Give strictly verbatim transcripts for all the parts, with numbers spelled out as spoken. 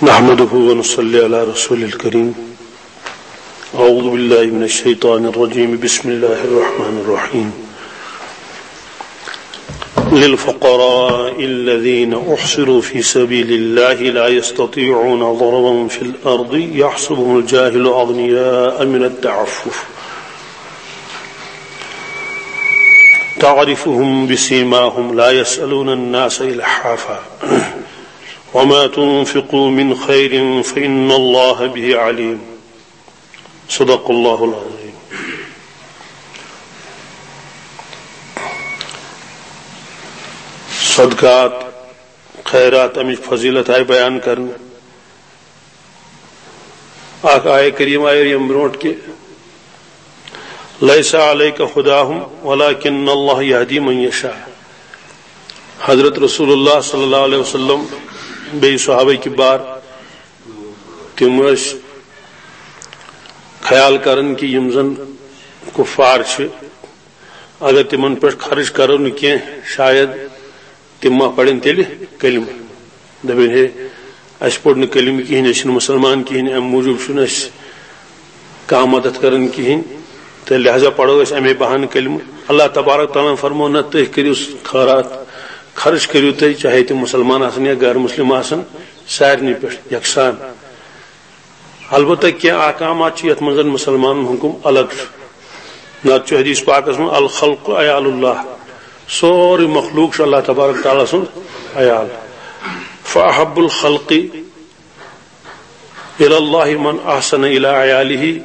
نحمده ونصلي على رسول الكريم. أعوذ بالله من الشيطان الرجيم. بسم الله الرحمن الرحيم. للفقراء الذين أحصروا في سبيل الله لا يستطيعون ضربا في الأرض يحسبهم الجاهل أغنياء من التعفف تعرفهم بسيماهم لا يسألون الناس إلحافا وما تنفقوا من خير فإن الله به عليم. صدق الله العظيم. صدقات، خیرات، امچ فضیلت آئی بیان کرنہٕ۔ اکھ آیہ کریم آیہِ ییٚمہِ برونٛٹھ کہِ، "لیس علیک ہداہم ولکن اللہ یہدی من یشاء۔" حضرت رسول اللہ صلی اللہ علیہ وسلم بیٚیہِ صحابہ کبار، تِم ٲسۍ خیال کران کہِ یِم زن کفار چھِ، اگر تِمن پٮ۪ٹھ خرٕچ کرو نہٕ کینٛہہ، شاید تِم ما پرن تیٚلہِ کلمہٕ۔ دپن، ہے، اسہِ پوٚر نہٕ کلمہٕ کِہیٖنۍ، أسۍ چھِنہٕ مسلمان کِہیٖنۍ، امہِ موٗجوٗب چھُنہٕ اسہِ کانٛہہ مدد کران کِہیٖنۍ، تہٕ لہذا پرو أسۍ امے بہانہٕ کلمہٕ۔ اللہ تبارک تعالیٰ ہن فرموو، نہ، تُہۍ کٔرِو خٲرات، خرٕچ کٔرِو تُہۍ، چاہے تِم مسلمان آسن یا غیر مسلم آسن، سارنٕے پٮ۪ٹھ یکسان۔ البتہ کینٛہہ احکامات چھِ یتھ منٛز زن مسلمانن ہُنٛد حکم الگ چھُ۔ نتہٕ چھُ حدیث پاکس منٛز، "الخلق عیال اللہ"، سورُے مخلوق چھُ اللہ تبارک تعالیٰ سُنٛد عیال۔ "فاحب الخلق الی اللہ من احسن الی عیالہ"،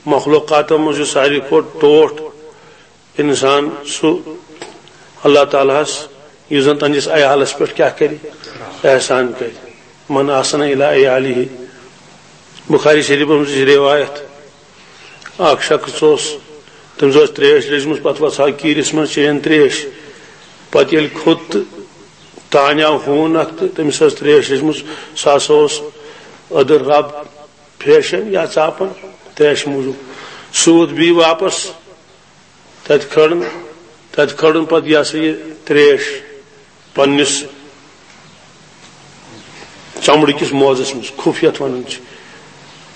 مخلوقاتو منٛز چھُ ساروی کھۄتہٕ ٹوٹھ انسان سُہ اللہ تعالیٰ ہس، یُس زن تہنٛدِس عیالس پٮ۪ٹھ کیٛاہ کرِ؟ احسان کرِ۔ "من احسن الی عیالہ"۔ بخاری شریفس منٛز چھِ روایت، اکھ شخص اوس، تٔمِس ٲس تریش لٔجمٕژ، پتہٕ وژھاو کیٖرِس منٛز، چیٚیَن تریش۔ پتہٕ ییٚلہِ کھوٚت تہٕ تانۍ آو ہوٗن اکھ تہٕ تٔمِس ٲس تریش لٔجمٕژ، سُہ ہسا اوس أدٕر رب پھیشن یا ژاپن تریشہِ موٗجوٗب۔ سُہ ووت بیٚیہِ واپس، تتہِ کھٲرٕن، تتہِ کھٲرٕن پتہٕ یہِ ہسا یہِ تریش پننِس چمڑٕ کِس موزس منٛز، خُف یتھ ونان چھِ۔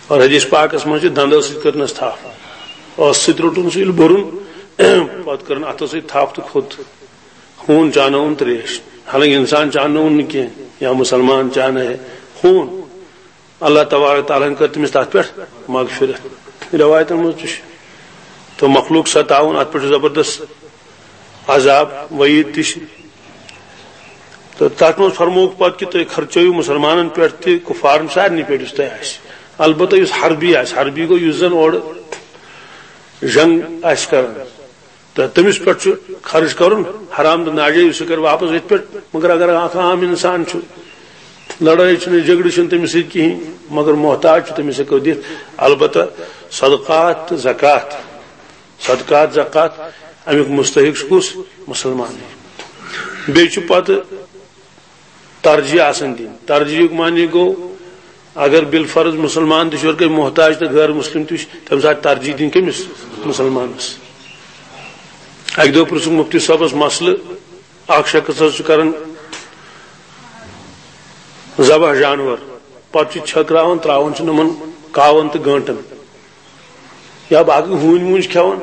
اور حدیث پاکس منٛز چھِ دندو سۭتۍ کٔرنس تھپھ، ٲسہٕ سۭتۍ روٚٹُن سُہ ییٚلہِ بوٚرُن، پتہٕ کٔرٕن اتھو سۭتۍ تھپھ تہٕ کھوٚت۔ ہوٗن چانووُن تریش، حالانکہ انسان چانووُن نہٕ کینٛہہ، یا مسلمان چانہٕ ہے ہوٗن۔ اللہ تبارک تعالیٰ ہن کٔر تٔمِس تتھ پٮ۪ٹھ مغفرت۔ روایتن منٛز تہِ چھُ۔ تہٕ مخلوق ستاوُن، اتھ پٮ۪ٹھ چھُ زبردست عذاب، وعید تہِ چھِ۔ تہٕ تتھ منٛز فرمووُکھ پتہٕ کہِ تُہۍ خرچٲیِو مسلمانن پٮ۪ٹھ تہِ، کفارن، سارنٕے پٮ۪ٹھ یُس تۄہہِ آسہِ۔ البتہ یُس حربی آسہِ، حربی گوٚو یُس زن اورٕ جنگ آسہِ کران، تہٕ تٔمِس پٮ۪ٹھ چھُ خرٕچ کرُن حرام تہٕ ناجٲیز، سُہ کرِ واپس أتھۍ پٮ۪ٹھ۔ مگر اگر اکھ عام انسان چھُ، لڑٲے چھِنہٕ، جھگڑٕ چھِنہٕ تٔمِس سۭتۍ کِہیٖنۍ، مگر محتاج چھُ، تٔمِس ہٮ۪کو دِتھ۔ البتہ صدقات تہٕ زکات، صدقات، زکات، امیُک مستحق چھُ کُس؟ مسلمان۔ بیٚیہِ چھُ پتہٕ ترجیح آسان دِنۍ۔ ترجیحُک معنی گوٚو، اگر بالفرض مسلمان تہِ چھُ، اور کانٛہہ محتاج تہٕ غیر مسلم تہِ چھُ، تَمہِ ساتہٕ ترجیح دِنۍ کٔمِس؟ مسلمانس۔ اکہِ دۄہ پرٛژھُکھ مفتی صٲبس مسلہٕ، اکھ شخص حظ چھُ کران ذبح جانور، پتہٕ چھُ چھٔکراوان، تراوان چھُ یِمن کاون تہٕ گٲنٹن یا باقٕے ہوٗنۍ ووٗنۍ چھِ کھٮ۪وان۔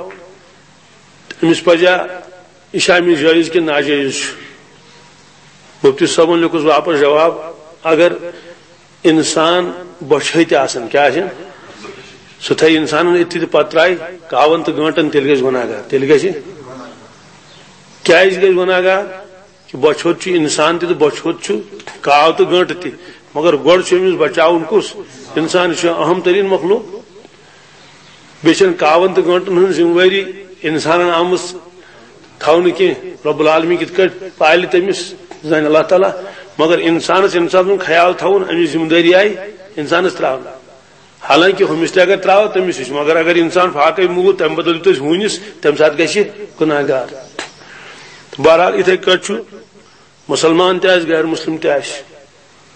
أمِس پزیا یہِ چھا أمِس جٲیز کِنہٕ ناجٲیز چھُ؟ مفتی صٲبن لیوٚکھُس واپس جواب، اگر انسان بۄچھِ ہٕتۍ آسن، کیٛاہ آسن؟ سُہ تھایہِ انسانن أتھی تہٕ پتہٕ ترایہِ کاون تہٕ گٲنٹن، تیٚلہِ گژھِ گۄناہ گار۔ تیٚلہِ گژھِ، کیٛازِ گژھِ گۄناہ گار؟ کہِ بۄچھِ ہوٚت چھُ انسان تہِ تہٕ بۄچھِ ہوٚت چھُ کاو تہٕ گٲنٹہٕ تہِ، مگر گۄڈٕ چھُ أمِس بچاوُن کُس؟ انسان، یہِ چھُ اہم تریٖن مخلوق۔ بیٚیہِ چھَنہٕ کاوَن تہٕ گٲنٛٹَن ہٕنٛز ذمہٕ وٲری اِنسانَن آمٕژ تھاونہٕ کینٛہہ۔ رب العالمین کِتھ کٲٹھۍ پالہِ تٔمِس، زانہِ اللہ تعالیٰ۔ مگر اِنسانَس ییٚمہِ ساتہٕ زَن خیال تھاوُن، اَمِچ ذمہٕ دٲری آیہِ اِنسانَس ترٛاونہٕ۔ حالانکہِ ہُمِس تہِ اگر ترٛاوو، تٔمِس نِش، مگر اگر اِنسان فاقے موٗد، تَمہِ بدل دیُت اَسہِ ہوٗنِس، تَمہِ ساتہٕ گژھِ گُناہ گار۔ تہٕ بہرحال، یِتھَے کٲٹھۍ چھُ مُسلمان تہِ آسہِ، غیر مُسلِم تہِ آسہِ۔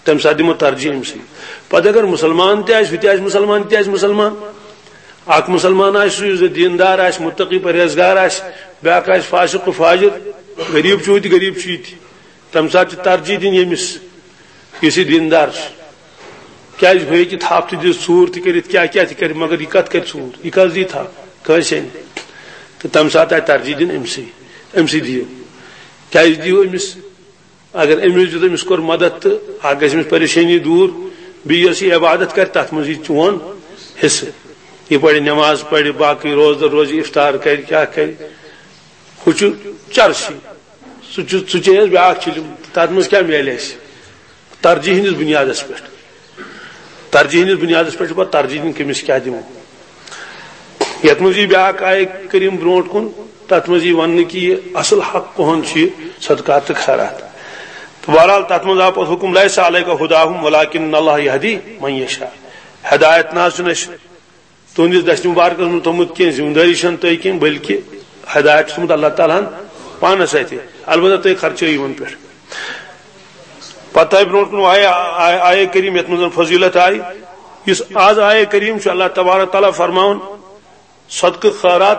تَمہِ ساتہٕ دِمو ترجیح أمۍ سٕے۔ پتہٕ اگر مُسلمان تہِ آسہِ، ہُہ تہِ آسہِ مُسلمان، تہِ آسہِ مُسلمان۔ اکھ مُسلمان آسہِ سُہ، یُس زَن دیٖندار آسہِ، مُتقی پرہیزگار آسہِ، بیٛاکھ آسہِ فاسق و فاجر، غریٖب چھُ ہُہ تہِ، غریٖب چھُ یہِ تہِ۔ تَمہِ ساتہٕ چھِ ترجیح دِنۍ ییٚمِس، یُس یہِ دیٖندار چھُ۔ کیازِ ہُہ ہیٚکہِ تھپھ تہِ دِتھ، ژوٗر تہِ کٔرِتھ، کیاہ کیاہ تہِ کرِ، مگر یہِ کتھ کرِ ژوٗر؟ یہِ کتھ دِیہِ تھپھ؟ کٲنٛسے نہٕ۔ تہٕ تمہِ ساتہٕ آیہِ ترجیح دِنہٕ أمسٕے، أمسٕے دِیِو۔ کیازِ دِیِو أمِس؟ اگر أمِس دیُت، أمِس کوٚر مدد، تہٕ اکھ گژھِ أمِس پریشٲنی دوٗر، بیٚیہِ یۄس یہِ عبادت کرِ، تتھ منٛز یی چون حصہٕ۔ یہِ پرِ نماز، پرِ باقٕے روزدر روزِ، افطار کرِ، کیاہ کرِ، ہُہ چھُ چرسی۔ سُہ چھُ، سُہ چیٚیَس بیٛاکھ چِلِم، تَتھ منٛز کیٛاہ میلہِ اَسہِ؟ ترجیح ہٕنٛدِس بُنیادَس پٮ۪ٹھ۔ ترجیح ہٕنٛدِس بُنیادَس پٮ۪ٹھ چھُ پَتہٕ ترجیح دیُن، کٔمِس کیٛاہ دِمو۔ یَتھ منٛز یی بیٛاکھ آیہِ کریٖم برونٛٹھ کُن، تَتھ منٛز یی وَننہٕ کہِ یہِ اَصٕل حق کُہُنٛد چھُ، یہِ صدقات تہٕ خیرات۔ تہٕ بہرحال تَتھ منٛز آو پَتہٕ حُکُم، "لیس علیک ہداہم ولکن اللہ یہدی من یشاء"۔ ہدایت نہ حظ چھُنہٕ اَسہِ تُہنٛدِس دستہِ مُبارکس منٛز تھوٚمُت کینٛہہ، ذمہٕ دٲری چھَنہٕ تۄہہِ کینٛہہ، بلکہِ ہدایت چھُ تھوٚمُت اللہ تعالیٰ ہن پانس اَتھِ۔ البتہ تُہۍ خرچٲیِو یِمن پٮ۪ٹھ۔ پتہٕ آیہِ برونٛٹھ کُن آیہِ، آیہِ، آیہِ کریم یَتھ منٛز فضیلت آیہِ۔ یُس آز آیہِ کریم چھُ اللہ تبارک تعالیٰ فرماوان، صدقہٕ خٲرات،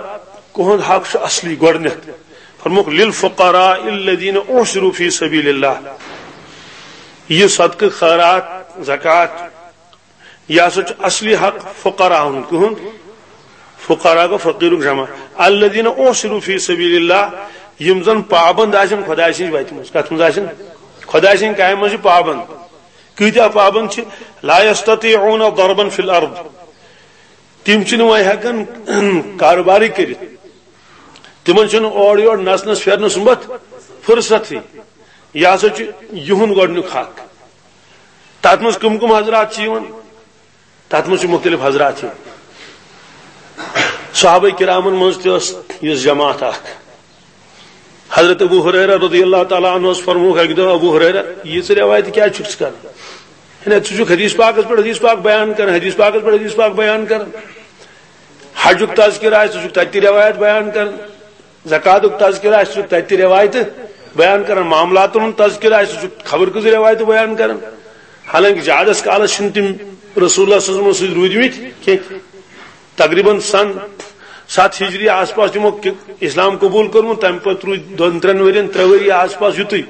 کُہُنٛد حق چھُ اصلی گۄڈٕنیتھ۔ فرمووُکھ، "للفقراء الذین احصروا فی سبیل اللہ"۔ یہِ صدقہٕ خٲرات، زکوٰۃ، یہِ ہسا چھُ اصلی حق فقراہن۔ کُہُنٛد؟ فقراء گوٚو فقیرُک جمع۔ الذین احصروا فی سبیل اللہ، یِم زن پابند آسن خۄداے سٕنٛزِ وتہِ منٛز۔ کتھ منٛز آسن؟ خۄداے سٕنٛدِ کامہِ منٛز چھِ پابند۔ کۭتیاہ پابند چھِ؟ لا یستطیعون ضربا فی الارض، تِم چھِنہٕ وۄنۍ ہٮ۪کان کاروبارٕے کٔرِتھ، تِمن چھُنہٕ اورٕ یورٕ نژنس پھیرنس سُمبتھ فرصتھٕے۔ یہِ ہسا چھُ یِہُنٛد گۄڈٕنیُک حق۔ تتھ منٛز کٕم کٕم حضرات چھِ یِوان؟ تتھ منٛز چھِ مُختٔلِف حضرات یِوان۔ صحابہ کرامن منٛز تہِ ٲس یِژھ جماعت اکھ۔ حضرت ابو ہریرہ رضی اللہ تعالیٰ عنہ اوس فرمووُکھ اکہِ دۄہ، "ابو ہریرہ، یہِ ژٕ روایت کیازِ چھُکھ ژٕ کران؟ ہے نہ، ژٕ چھُکھ حدیث پاکس پٮ۪ٹھ حدیث پاک بیان کران، حدیث پاکس پٮ۪ٹھ حدیث پاک بیان کران۔ حجُک تذکرہ آسہِ، ژٕ چھُکھ تتہِ تہِ روایت بیان کران۔" زکاتُک تذکرہ آسہِ، سُہ تتہِ تہِ روایتہٕ بیان کران، معاملاتن ہُنٛد تذکرہ آسہِ، سُہ چھُ خبر کۭژٕ روایتہٕ بیان کران۔ حالانکہ زیادس کالس چھِنہٕ تِم رسول اللہ صلی اللہ علیہ وسلم سۭتۍ روٗدۍمٕتۍ کینٛہہ۔ تقریباً سن ستھ ہجری آس پاس تِمو کہ-، اسلام قبول کوٚرمُت، تمہِ پتہٕ روٗدۍ دۄن ترٛٮ۪ن ؤرین، ترٛےٚ ؤری آس پاس یُتُے۔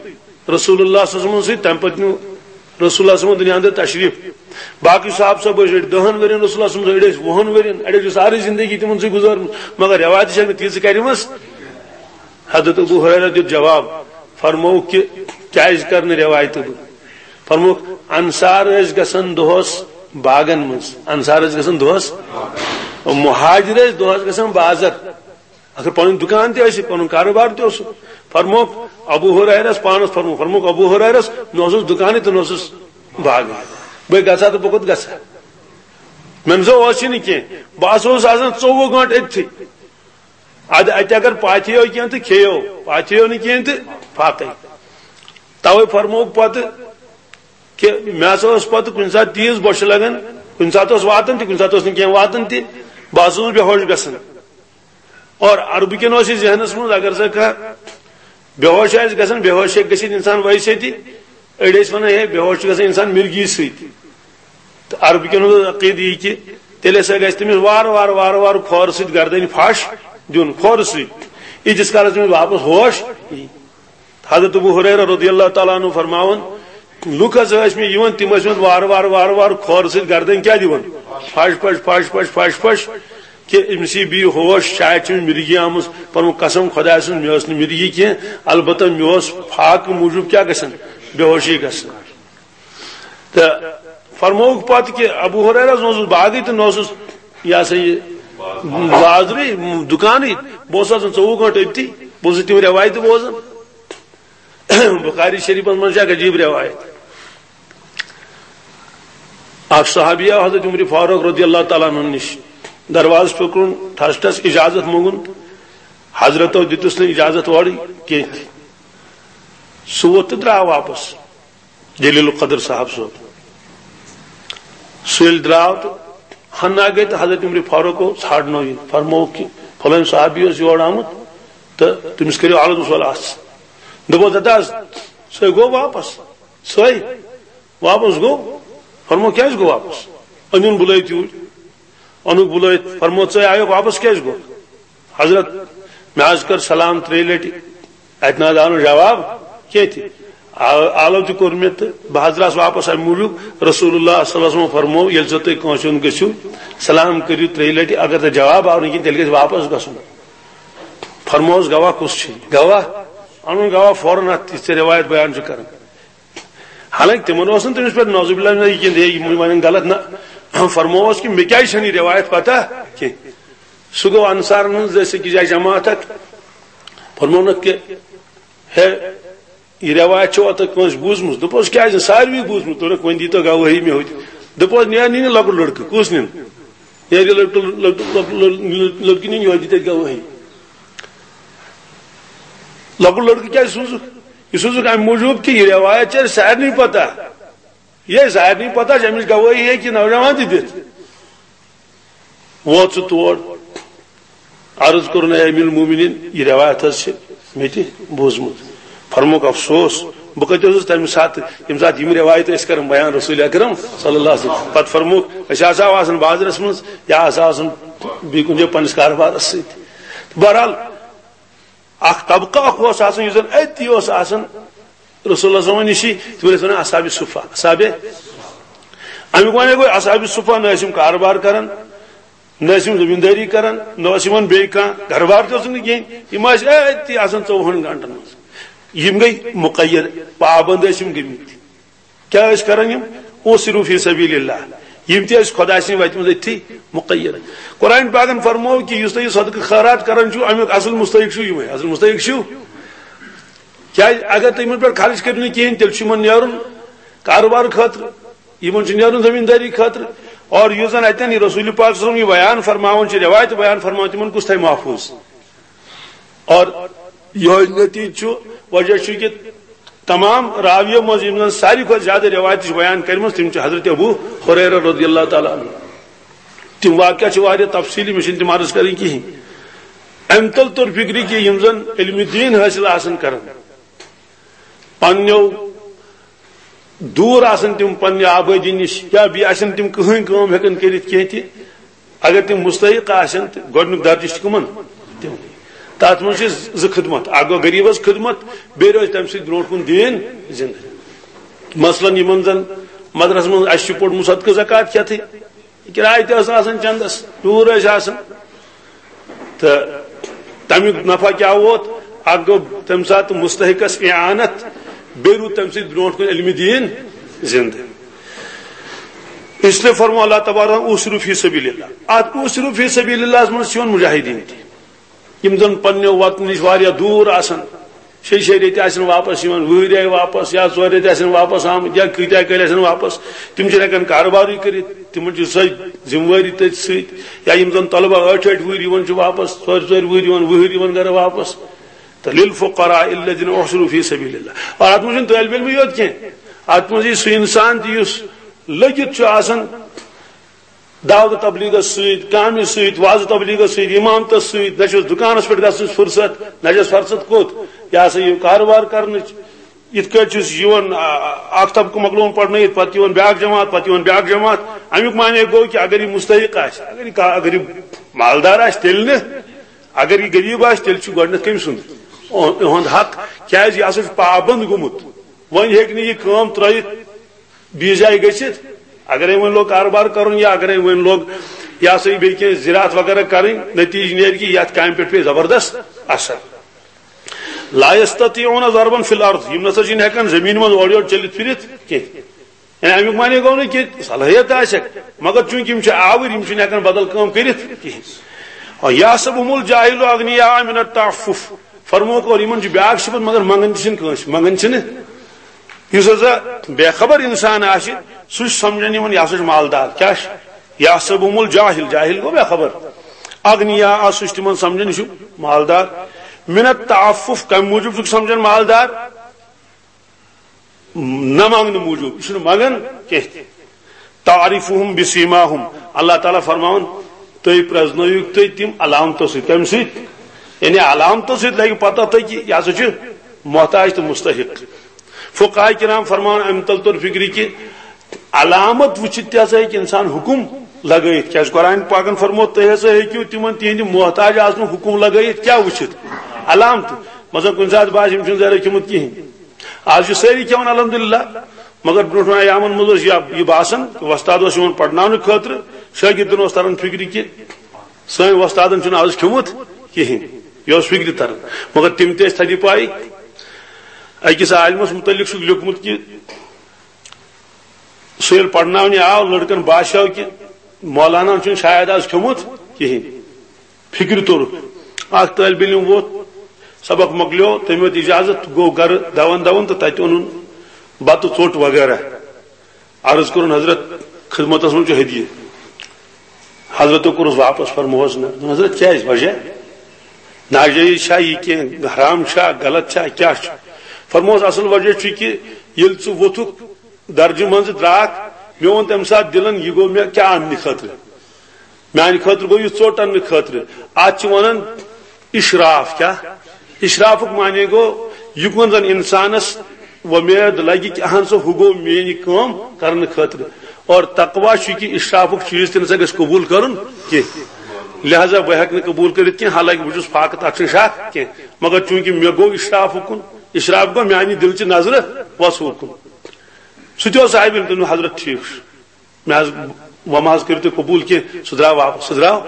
رسول اللہ صلی اللہ علیہ وسلمن سۭتۍ، تمہِ پتہٕ نیوٗ رسول اللہ صلی اللہ علیہ وسلمن دُنیا اندر تشریف۔ باقٕے صحابہٕ صٲب ٲسۍ أڑۍ دہن ؤرین رسول اللہ صلی اللہ علیہ وسلمن، أڑۍ ٲسۍ وُہن ؤرین، أڑۍ ٲسۍ سارے زندگی تِمن سۭتۍ گُزٲرمٕژ، مگر روایتہِ چھکھ نہٕ تیٖژٕ کریمٕژ۔ حضرت ابو ہریرہ دیُت جواب، فرمووُکھ کہِ کیازِ کرٕ نہٕ روایتہٕ بہٕ؟ فرمووُکھ، انصار ٲسۍ گژھان دۄہس باغن منٛز، انصار ٲسۍ گژھان دۄہس، مہاجر ٲسۍ دۄہس گژھان بازر۔ اگر پنُن دُکان تہِ ٲسِکھ، پنُن کاروبار تہِ اوسُکھ۔ فرمووُکھ ابو ہریرس پانس، فرمووُکھ، فرمووُکھ ابو ہریرس، نہ اوسُس دُکانٕے تہٕ نہ اوسُس باغٕے۔ بہٕ گژھٕ ہا تہٕ بہٕ کوٚت گژھٕ ہا؟ مےٚ نہ سا اوس یہِ نہٕ کینٛہہ۔ بہٕ ہسا اوسُس آسان ژوٚوُہ گٲنٛٹہٕ أتتھٕے۔ ادٕ اتہِ اگر پاتھیو کینٛہہ تہٕ کھیٚیو، پاتھیو نہٕ کینٛہہ تہٕ فاقے۔ توے فرمووُکھ پتہٕ کہِ مےٚ ہسا اوس پتہٕ کُنہِ ساتہٕ تیز بۄچھِ لگان، کُنہِ ساتہٕ اوس واتان تہِ، کُنہِ ساتہٕ اوس نہٕ کینٛہہ واتان تہِ، بہٕ ہسا اوسُس بے ہوش گژھان۔ اور عربہٕ کٮ۪ن اوس یہِ ذہنس منٛز، اگر سا کانٛہہ بے ہوش آسہِ گژھان، بے ہوش ہیٚکہِ گٔژھِتھ انسان ویسے تہِ۔ أڑۍ ٲسۍ ونان، ہے، بے ہوش چھُ گژھان انسان مرگی سۭتۍ۔ تہٕ عربہٕ کٮ۪ن ہُنٛد عقیدٕ یہِ کہِ تیٚلہِ ہسا گژھِ تٔمِس وارٕ وارٕ، وارٕ وارٕ کھۄرٕ سۭتۍ گردنہِ پھش دیُن، کھۄرٕ سۭتۍ، ییٖتِس کالس تٔمِس واپس ہوش یی۔ حضرت ابو ہریرہ رضی اللہ تعالیٰ عنہ فرماوان، لُکھ ہسا ٲسۍ مےٚ یِوان، تِم ٲسۍ مےٚ وارٕ وارٕ، وارٕ وارٕ کھۄرٕ سۭتۍ گردنہِ کیٛاہ دِوان؟ پھش، پھش، پھش، پھش، پھش، پھش، کہِ أمِس یی بیٚیہِ ہوش، شاید چھِ أمِس مِرگی آمٕژ۔ پَنُن قسم خۄداے سٕنٛز، مےٚ ٲس نہٕ مِرگی کینٛہہ، البتہ مےٚ اوس فاقہٕ موٗجوٗب کیٛاہ گژھان؟ بے ہوشی گژھان۔ تہٕ فرمووُکھ پتہٕ کہِ ابو ہریرہ نہ اوسُس باغٕے تہٕ نہ اوسُس یہِ ہسا یہِ بازرٕے، دُکانٕے، بہٕ اوسُس آسان ژوٚوُہ گٲنٛٹہٕ أتی، بہٕ اوسُس تِم رٮ۪وایتہٕ بوزان۔ بخاری شریفس منٛز چھِ اکھ عجیٖب رٮ۪وایت۔ اکھ صحابی آو حضرت عمر فاروق رضی اللہ تعالیٰ عنہ نِش، دروازٕ پھِرُن، ٹھس ٹھس اجازت مونٛگُن، حضرتو دِتُس نہٕ اجازت اورٕ کینٛہہ تہِ۔ سُہ ووت تہٕ درٛاو واپس۔ جلیل القدر صاحب صٲب۔ سُہ ییٚلہِ درٛاو تہٕ ہنا گٔے تہٕ حضرت عمر فاروق اوس ژھانٛڈنو یہِ، فرمووُکھ کہِ فلٲنۍ صحابی اوس یور آمُت تہٕ تٔمِس کٔرِو الگ سوال اَتھ۔ دوٚپُس، "دَپہٕ حظ، سُے گوٚو واپس، سُے واپس گوٚو؟" فرموو، "کیٛازِ گوٚو واپس؟ أنِن بُلٲوِتھ یوٗرۍ۔" اوٚنُکھ بُلٲوِتھ، فرموو، "ژٕ آیوکھ واپس کیٛازِ گوٚو؟" "حضرت، مےٚ حظ کٔر سلام ترٛیٚیہِ لٹہِ، اتہِ نہ حظ آو نہٕ جواب کینٛہہ تہِ۔ آ-، آلو تہِ کوٚر مےٚ تہٕ بہٕ حظ درٛاس واپس امہِ موٗجوٗب۔ رسول اللہ صلی اللہ علیہ وسلم فرموو، ییٚلہِ زن تُہۍ کٲنٛسہِ ہُنٛد گٔژھِو سلام کٔرِو ترٛیٚیہِ لٹہِ، اگر تۄہہِ جواب آو نہٕ کینٛہہ، تیٚلہِ گژھِ واپس گژھُن۔ فرمووس، گواہ کُس چھُ؟ گواہ اَنُن، گواہ فوراً اتھ یُس ژےٚ رِوایت بیان چھُ کران۔ حالانکہ تِمن اوس نہٕ تٔمِس پٮ۪ٹھ نعوذ باللہ نہ یہِ کینٛہہ، ہے، یِم ونن غلط، نہ۔ فرمووس کہِ مےٚ کیٛازِ چھنہٕ یہِ رِوایت پتہ کینٛہہ۔ سُہ گوٚو انصارن ہٕنٛز أکِس جایہِ جماعت اکھ۔ فرموونکھ کہِ ہے، یہِ رٮ۪وایت چھو تۄہہِ کٲنٛسہِ بوٗزمٕژ؟ دوٚپُس، کیٛازِ نہٕ؟ ساروی بوٗزمُت۔ دوٚپُکھ، وۄنۍ دیٖتو گواہی مےٚ ہوٚتہِ۔ دوٚپُس، نیر نی نہٕ لۄکُٹ لٔڑکہٕ۔ کُس نِن؟ نیر یہِ لۄکُٹ، لۄکُٹ، لۄکُٹ، لۄکُٹ، لٔڑکہٕ نِن، یورٕ دی تَتہِ گواہی۔ لۄکُٹ لٔڑکہٕ کیٛازِ سوٗزُکھ؟ یہِ سوٗزُکھ اَمہِ موٗجوٗب کہِ یہِ رٮ۪وایت چھےٚ سارنٕے پتہ۔ یہِ سارنٕے پتہ چھِ، اَمِچ گواہی ہیٚکہِ یہِ نوجوان تہِ دِتھ۔ ووت سُہ تور، عرض کوٚرُن، اے امیر المومنین، یہِ رٮ۪وایت حظ چھِ مےٚ تہِ بوٗزمُت۔ فرمووُکھ، افسوس، بہٕ کتہِ اوسُس تمہِ ساتہٕ، ییٚمہِ ساتہٕ یِم رٮ۪وایت ٲسۍ کران بیان رسول اکرم صلی اللہ علیہ وسلم۔ پتہٕ فرمووُکھ، أسۍ ہسا آسان بازرس منٛز یا ہسا آسان بیٚیہِ کُنہِ جایہِ پننِس کاربارس سۭتۍ۔ بہرحال، اکھ طبقہٕ اکھ اوس آسان، یُس زن أتی اوس آسان رسول اللہ صلی اللہ علیہ وسلم نِشی، تِمن ٲسۍ ونان اصحاب صفہ، اصحاب۔ امیُک ونے گوٚو اصحاب صفہ، نہ ٲسۍ یِم کاربار کران، نہ ٲسۍ یِم زمیٖندٲری کران، نہ اوس یِمن بیٚیہِ کانٛہہ گرٕ بار تہِ اوسُکھ نہٕ کِہیٖنۍ۔ یِم ٲسۍ أتی آسان ژوٚوُہن گنٹن منٛز۔ یِم گٔے مقید، پابند ٲسۍ یِم گٔمٕتۍ۔ کیٛاہ ٲسۍ کران یِم؟ اوسرو فی سبیل اللہ۔ یِم تہِ ٲسۍ خۄداے سٕنٛدِ وتہِ منٛز أتھی مقید۔ قرآن پاکن فرموو کہِ یُس تُہۍ یہِ صدقہٕ خٲرات کران چھِو، اَمیُک اصل مستحق چھُ یِمے، اصل مستحق چھِو۔ کیٛازِ؟ اگر تُہۍ یِمن پٮ۪ٹھ خرٕچ کٔرِو نہٕ کِہیٖنۍ، تیٚلہِ چھُ یِمن نیرُن کارٕبار خٲطرٕ، یِمن چھُ نیرُن زٔمیٖندٲری خٲطرٕ، اور یُس زن اتٮ۪ن یہِ رسول پاک صلی اللہ علیہ وسلم یہِ بیان فرماوان چھِ، رٮ۪وایت بیان فرماوان، تِمن کُس تھایہِ محفوٗظ؟ اور یِہوٚے نتیٖجہٕ چھُ، وجہ چھُ کہِ تمام راویو منٛز یِم زن ساروی کھۄتہٕ زیادٕ رٮ۪وایتہٕ چھِ بیان کٔرمٕژ، تِم چھِ حضرت ابو ہریرہ رضی اللہ تعالیٰ عنہ۔ تِم واقعہ چھِ واریاہ تفصیٖلی، مےٚ چھِنہٕ تِم عرض کَرٕنۍ کِہیٖنۍ۔ اَمہِ تَل توٚر فِکرِ کہِ یِم زَن علمِ دیٖن حٲصِل آسَن کَران، پنٛنیو دوٗر آسَن تِم پنٛنہِ آبٲدی نِش، یا بیٚیہِ آسَن تِم کٕہٕنۍ کٲم ہٮ۪کَن کٔرِتھ کینٛہہ تہِ، اگر تِم مُستحق آسَن، تہٕ گۄڈٕنیُک درجہٕ چھُ کٕمَن؟ تِمنٕے۔ تَتھ منٛز چھِ زٕ خدمت، اَکھ گوٚو غریٖبَس خدمت، بیٚیہِ روزِ تَمہِ سۭتۍ برٛونٛٹھ کُن دیٖن زِندٕ۔ مثلاً یِمَن زَن مدرسَس منٛز اَسہِ چھُ پوٚرمُت صدقہٕ زکوٰۃ کھٮ۪تھٕے، کِراے تہِ ٲس آسان چندس، ڈوٗر ٲسۍ آسان۔ تہٕ تَمیُک نفع کیٛاہ ووت؟ اکھ گوٚو تَمہِ ساتہٕ مُستحقس اعانت، بیٚیہِ روٗد تَمہِ سۭتۍ برٛونٛٹھ کُن علمِ دیٖن زِندٕ۔ اس لیے فرموو اللہ تبارک، اوسرو فی سبیل اللہ۔ اتھ اوسرو فی سبیل اللہس منٛز چھِ یِوان مجاہدیٖن تہِ، یِم زن پننیو وطنہٕ نِش واریاہ دوٗر آسان، شیٚیہِ شیٚیہِ ریٚتۍ آسن واپس یِوان، وُہٕرۍ آیہِ واپس، یا ژورِ ریٚتۍ آسن واپس آمٕتۍ، یا کۭتیاہ کٲلۍ آسن واپس، تِم چھِنہٕ ہٮ۪کان کاربارٕے کٔرِتھ، تِمن چھِ سۄے ذمہٕ وٲری تٔتھۍ سۭتۍ۔ یا یِم زن طلبہ ٲٹھِ ٲٹھِ وُہٕرۍ یِوان چھِ واپس، ژورِ ژورِ وُہٕرۍ یِوان، وُہٕرۍ یِوان گرٕ واپس۔ تہٕ للفقراء الذین احصروا فی سبیل اللہ۔ اور اتھ منٛز چھُنہٕ طٲلبِ علمٕے یوت کینٛہہ، اتھ منٛز یہِ سُہ انسان تہِ یُس لٔگِتھ چھُ آسان دعوت تبلیغس سۭتۍ، کامہِ سۭتۍ، وعظ تبلیغس سۭتۍ، امامتس سۭتۍ، نہ چھُس دُکانس پٮ۪ٹھ گژھنٕچ فرصت، نہ چھُس فرصت کوٚت، یہِ ہسا یہِ کارٕبار کرنٕچ۔ یِتھ کٲٹھۍ چھُس یِوان، آ، اکھ طبقہٕ مۄکلووُن پرنٲیِتھ، پتہٕ یِوان بیٛاکھ جماعت، پتہٕ یِوان بیٛاکھ جماعت۔ امیُک معنی گوٚو کہِ اگر یہِ مُستحق آسہِ، اگر یہِ کا-، اگر یہِ مالدار آسہِ، تیٚلہِ نہٕ۔ اگر یہِ غریٖب آسہِ، تیٚلہِ چھُ گۄڈٕنٮ۪تھ کٔمۍ سُنٛد؟ اُہ-، اُہُنٛد حق، کیٛازِ یہِ ہسا چھُ پابنٛد گوٚمُت۔ وۄنۍ ہیٚکہِ نہٕ یہِ کٲم ترٲیِتھ بیٚیِس جایہِ گٔژھِتھ۔ اگرے وۄنۍ لوگ کارٕبار کرُن یا اگرے وۄنۍ لوگ یہِ ہسا یہِ بیٚیہِ کینٛہہ زِراعت وغیرہ کرٕنۍ، نتیٖجہٕ نیرِ کہِ یتھ کامہِ پٮ۪ٹھ پیٚیہِ زبردست اثر۔ لا یستطیعون ضربا فی الارض، یِم نسا چھِنہٕ ہٮ۪کان زٔمیٖنہِ منٛز اورٕ یورٕ چٔلِتھ پھِرِتھ کینٛہہ۔ یعنی امیُک معنی گوٚو نہٕ کہِ صلٲحیت آسٮ۪کھ، مگر چوٗنٛکہِ یِم چھِ آوٕرۍ، یِم چھِنہٕ ہٮ۪کان بدل کٲم کٔرِتھ کِہیٖنۍ۔ یحسبهم الجاهل اغنیاء من التعفف، فرمووُکھ، اور یِمن چھِ بیٛاکھ صفت، مگر منٛگان تہِ چھِنہٕ کٲنٛسہِ، منٛگان چھِنہٕ۔ یُس ہسا بے خبر انسان آسہِ، سُہ چھُ سمجھان یِمن، یہِ ہسا چھُ مالدار۔ کیٛاہ چھُ؟ یحسبهم الجاهل، جاہل گوٚو بے خبر۔ اغنیاء، سُہ چھُ تِمن سمجھان یہِ چھُ مالدار۔ من التعفف، کمہِ موٗجوٗب چھُکھ سمجھان مالدار؟ نہ منٛگنہٕ موٗجوٗب، یہِ چھُنہٕ منٛگان کینٛہہ تہِ۔ تعرفهم بسیماهم، اللہ تعالیٰ فرماوان، تُہۍ پرٛزنٲیِو تُہۍ تِم علامتو سۭتۍ۔ کَمہِ سۭتۍ؟ یعنی علامتو سۭتۍ لگہِ پتہ تۄہہِ کہِ یہِ ہسا چھُ محتاج تہٕ مستحق۔ فقہاء کرام فرماوان اَمہِ تل توٚر فِکرِ کہِ علامت وٕچھِتھ تہِ ہسا ہیٚکہِ انسان حُکُم لگٲیِتھ۔ کیٛازِ قرآن پاکن فرموو، تُہۍ ہسا ہیٚکِو تِمن تِہنٛدِ محتاج آسنُک حُکُم لگٲیِتھ۔ کیٛاہ وٕچھِتھ؟ علامتہٕ۔ مثلاً کُنہِ ساتہٕ باسہِ، یِم چھِنہٕ زرٕ کھیوٚمُت کِہیٖنۍ۔ آز چھِ سٲری کھٮ۪وان الحمدللہ، مگر برونٛٹھ مٮ۪ن ایامن منٛز اوس یہِ، یہِ باسان کہِ وۄستاد اوس یِوان پرناونہٕ خٲطرٕ، شٲگِردن اوس تران فِکرِ کہِ سٲنۍ وۄستادن چھُنہٕ آز کھیوٚمُت کِہیٖنۍ۔ یہِ اوس فِکرِ تران، مگر تِم تہِ ٲسۍ تھدِ پایہِ۔ أکِس عالمس مُتعلِق چھُکھ لیوٚکھمُت کہِ سُہ ییٚلہِ پرناونہِ آو، لڑکن باسیو کہِ مولانا چھُنہٕ شاید آز کھیوٚمُت کِہیٖنۍ۔ فِکرِ توٚرُکھ۔ اکھ طٲلبِ علم ووت، سبق مۄکلیو، تٔمۍ ہیوٚت اجازت، گوٚو گرٕ دون دون تہٕ تتہِ اوٚنُن بتہٕ ژوٚٹ وغیرہ۔ عرض کوٚرُن، "حضرت، خدمتس منٛز چھُ ہدیہِ۔" حضرتو کوٚرُس واپس، فرمووس، "نہ۔" دوٚپُن، "حضرت، کیازِ؟ وجہ ناجٲیز چھا یہِ کینٛہہ؟ حرام چھا؟ غلط چھا؟ کیٛاہ چھُ؟" فرمووس، "اصل وجہ چھُ کہِ ییٚلہِ ژٕ ووٚتھُکھ درجہِ منٛزٕ درٛاکھ، مےٚ ووٚن تمہِ ساتہٕ دِلن، یہِ گوٚو مےٚ کیٛاہ اننہٕ خٲطرٕ؟ میانہِ خٲطرٕ گوٚو یہِ ژوٚٹ اننہٕ خٲطرٕ۔" اتھ چھِ ونان اشراف۔ کیٛاہ؟ اشرافُک معنی گوٚو، یہِ کُن زن انسانس وۄمید لگہِ کہِ اہن سا ہُہ گوٚو میٲنۍ کٲم کرنہٕ خٲطرٕ۔ اور تقوی چھُ کہِ اشرافُک چیٖز تہِ نسا گژھِ قبول کرُن کینٛہہ۔ لہذا بہٕ ہیٚکہٕ نہٕ قبول کٔرِتھ کینٛہہ، حالانکہ بہٕ چھُس فاقہٕ، تتھ چھُنہٕ شک کینٛہہ۔ مگر چوٗنٛکہِ مےٚ گوٚو اشرافُک کُن، اشراف گوٚو میانہِ دِلچہِ نظرٕ وۄژھوُک کُن۔ سُہ تہِ اوس صاحب علم، تٔمۍ دوٚپ، "حضرت، ٹھیٖک چھُ۔" مےٚ حظ، وۄنۍ ما حظ کٔرِو تُہۍ قبوٗل کینٛہہ؟ سُہ درٛاو واپس، سُہ درٛاو۔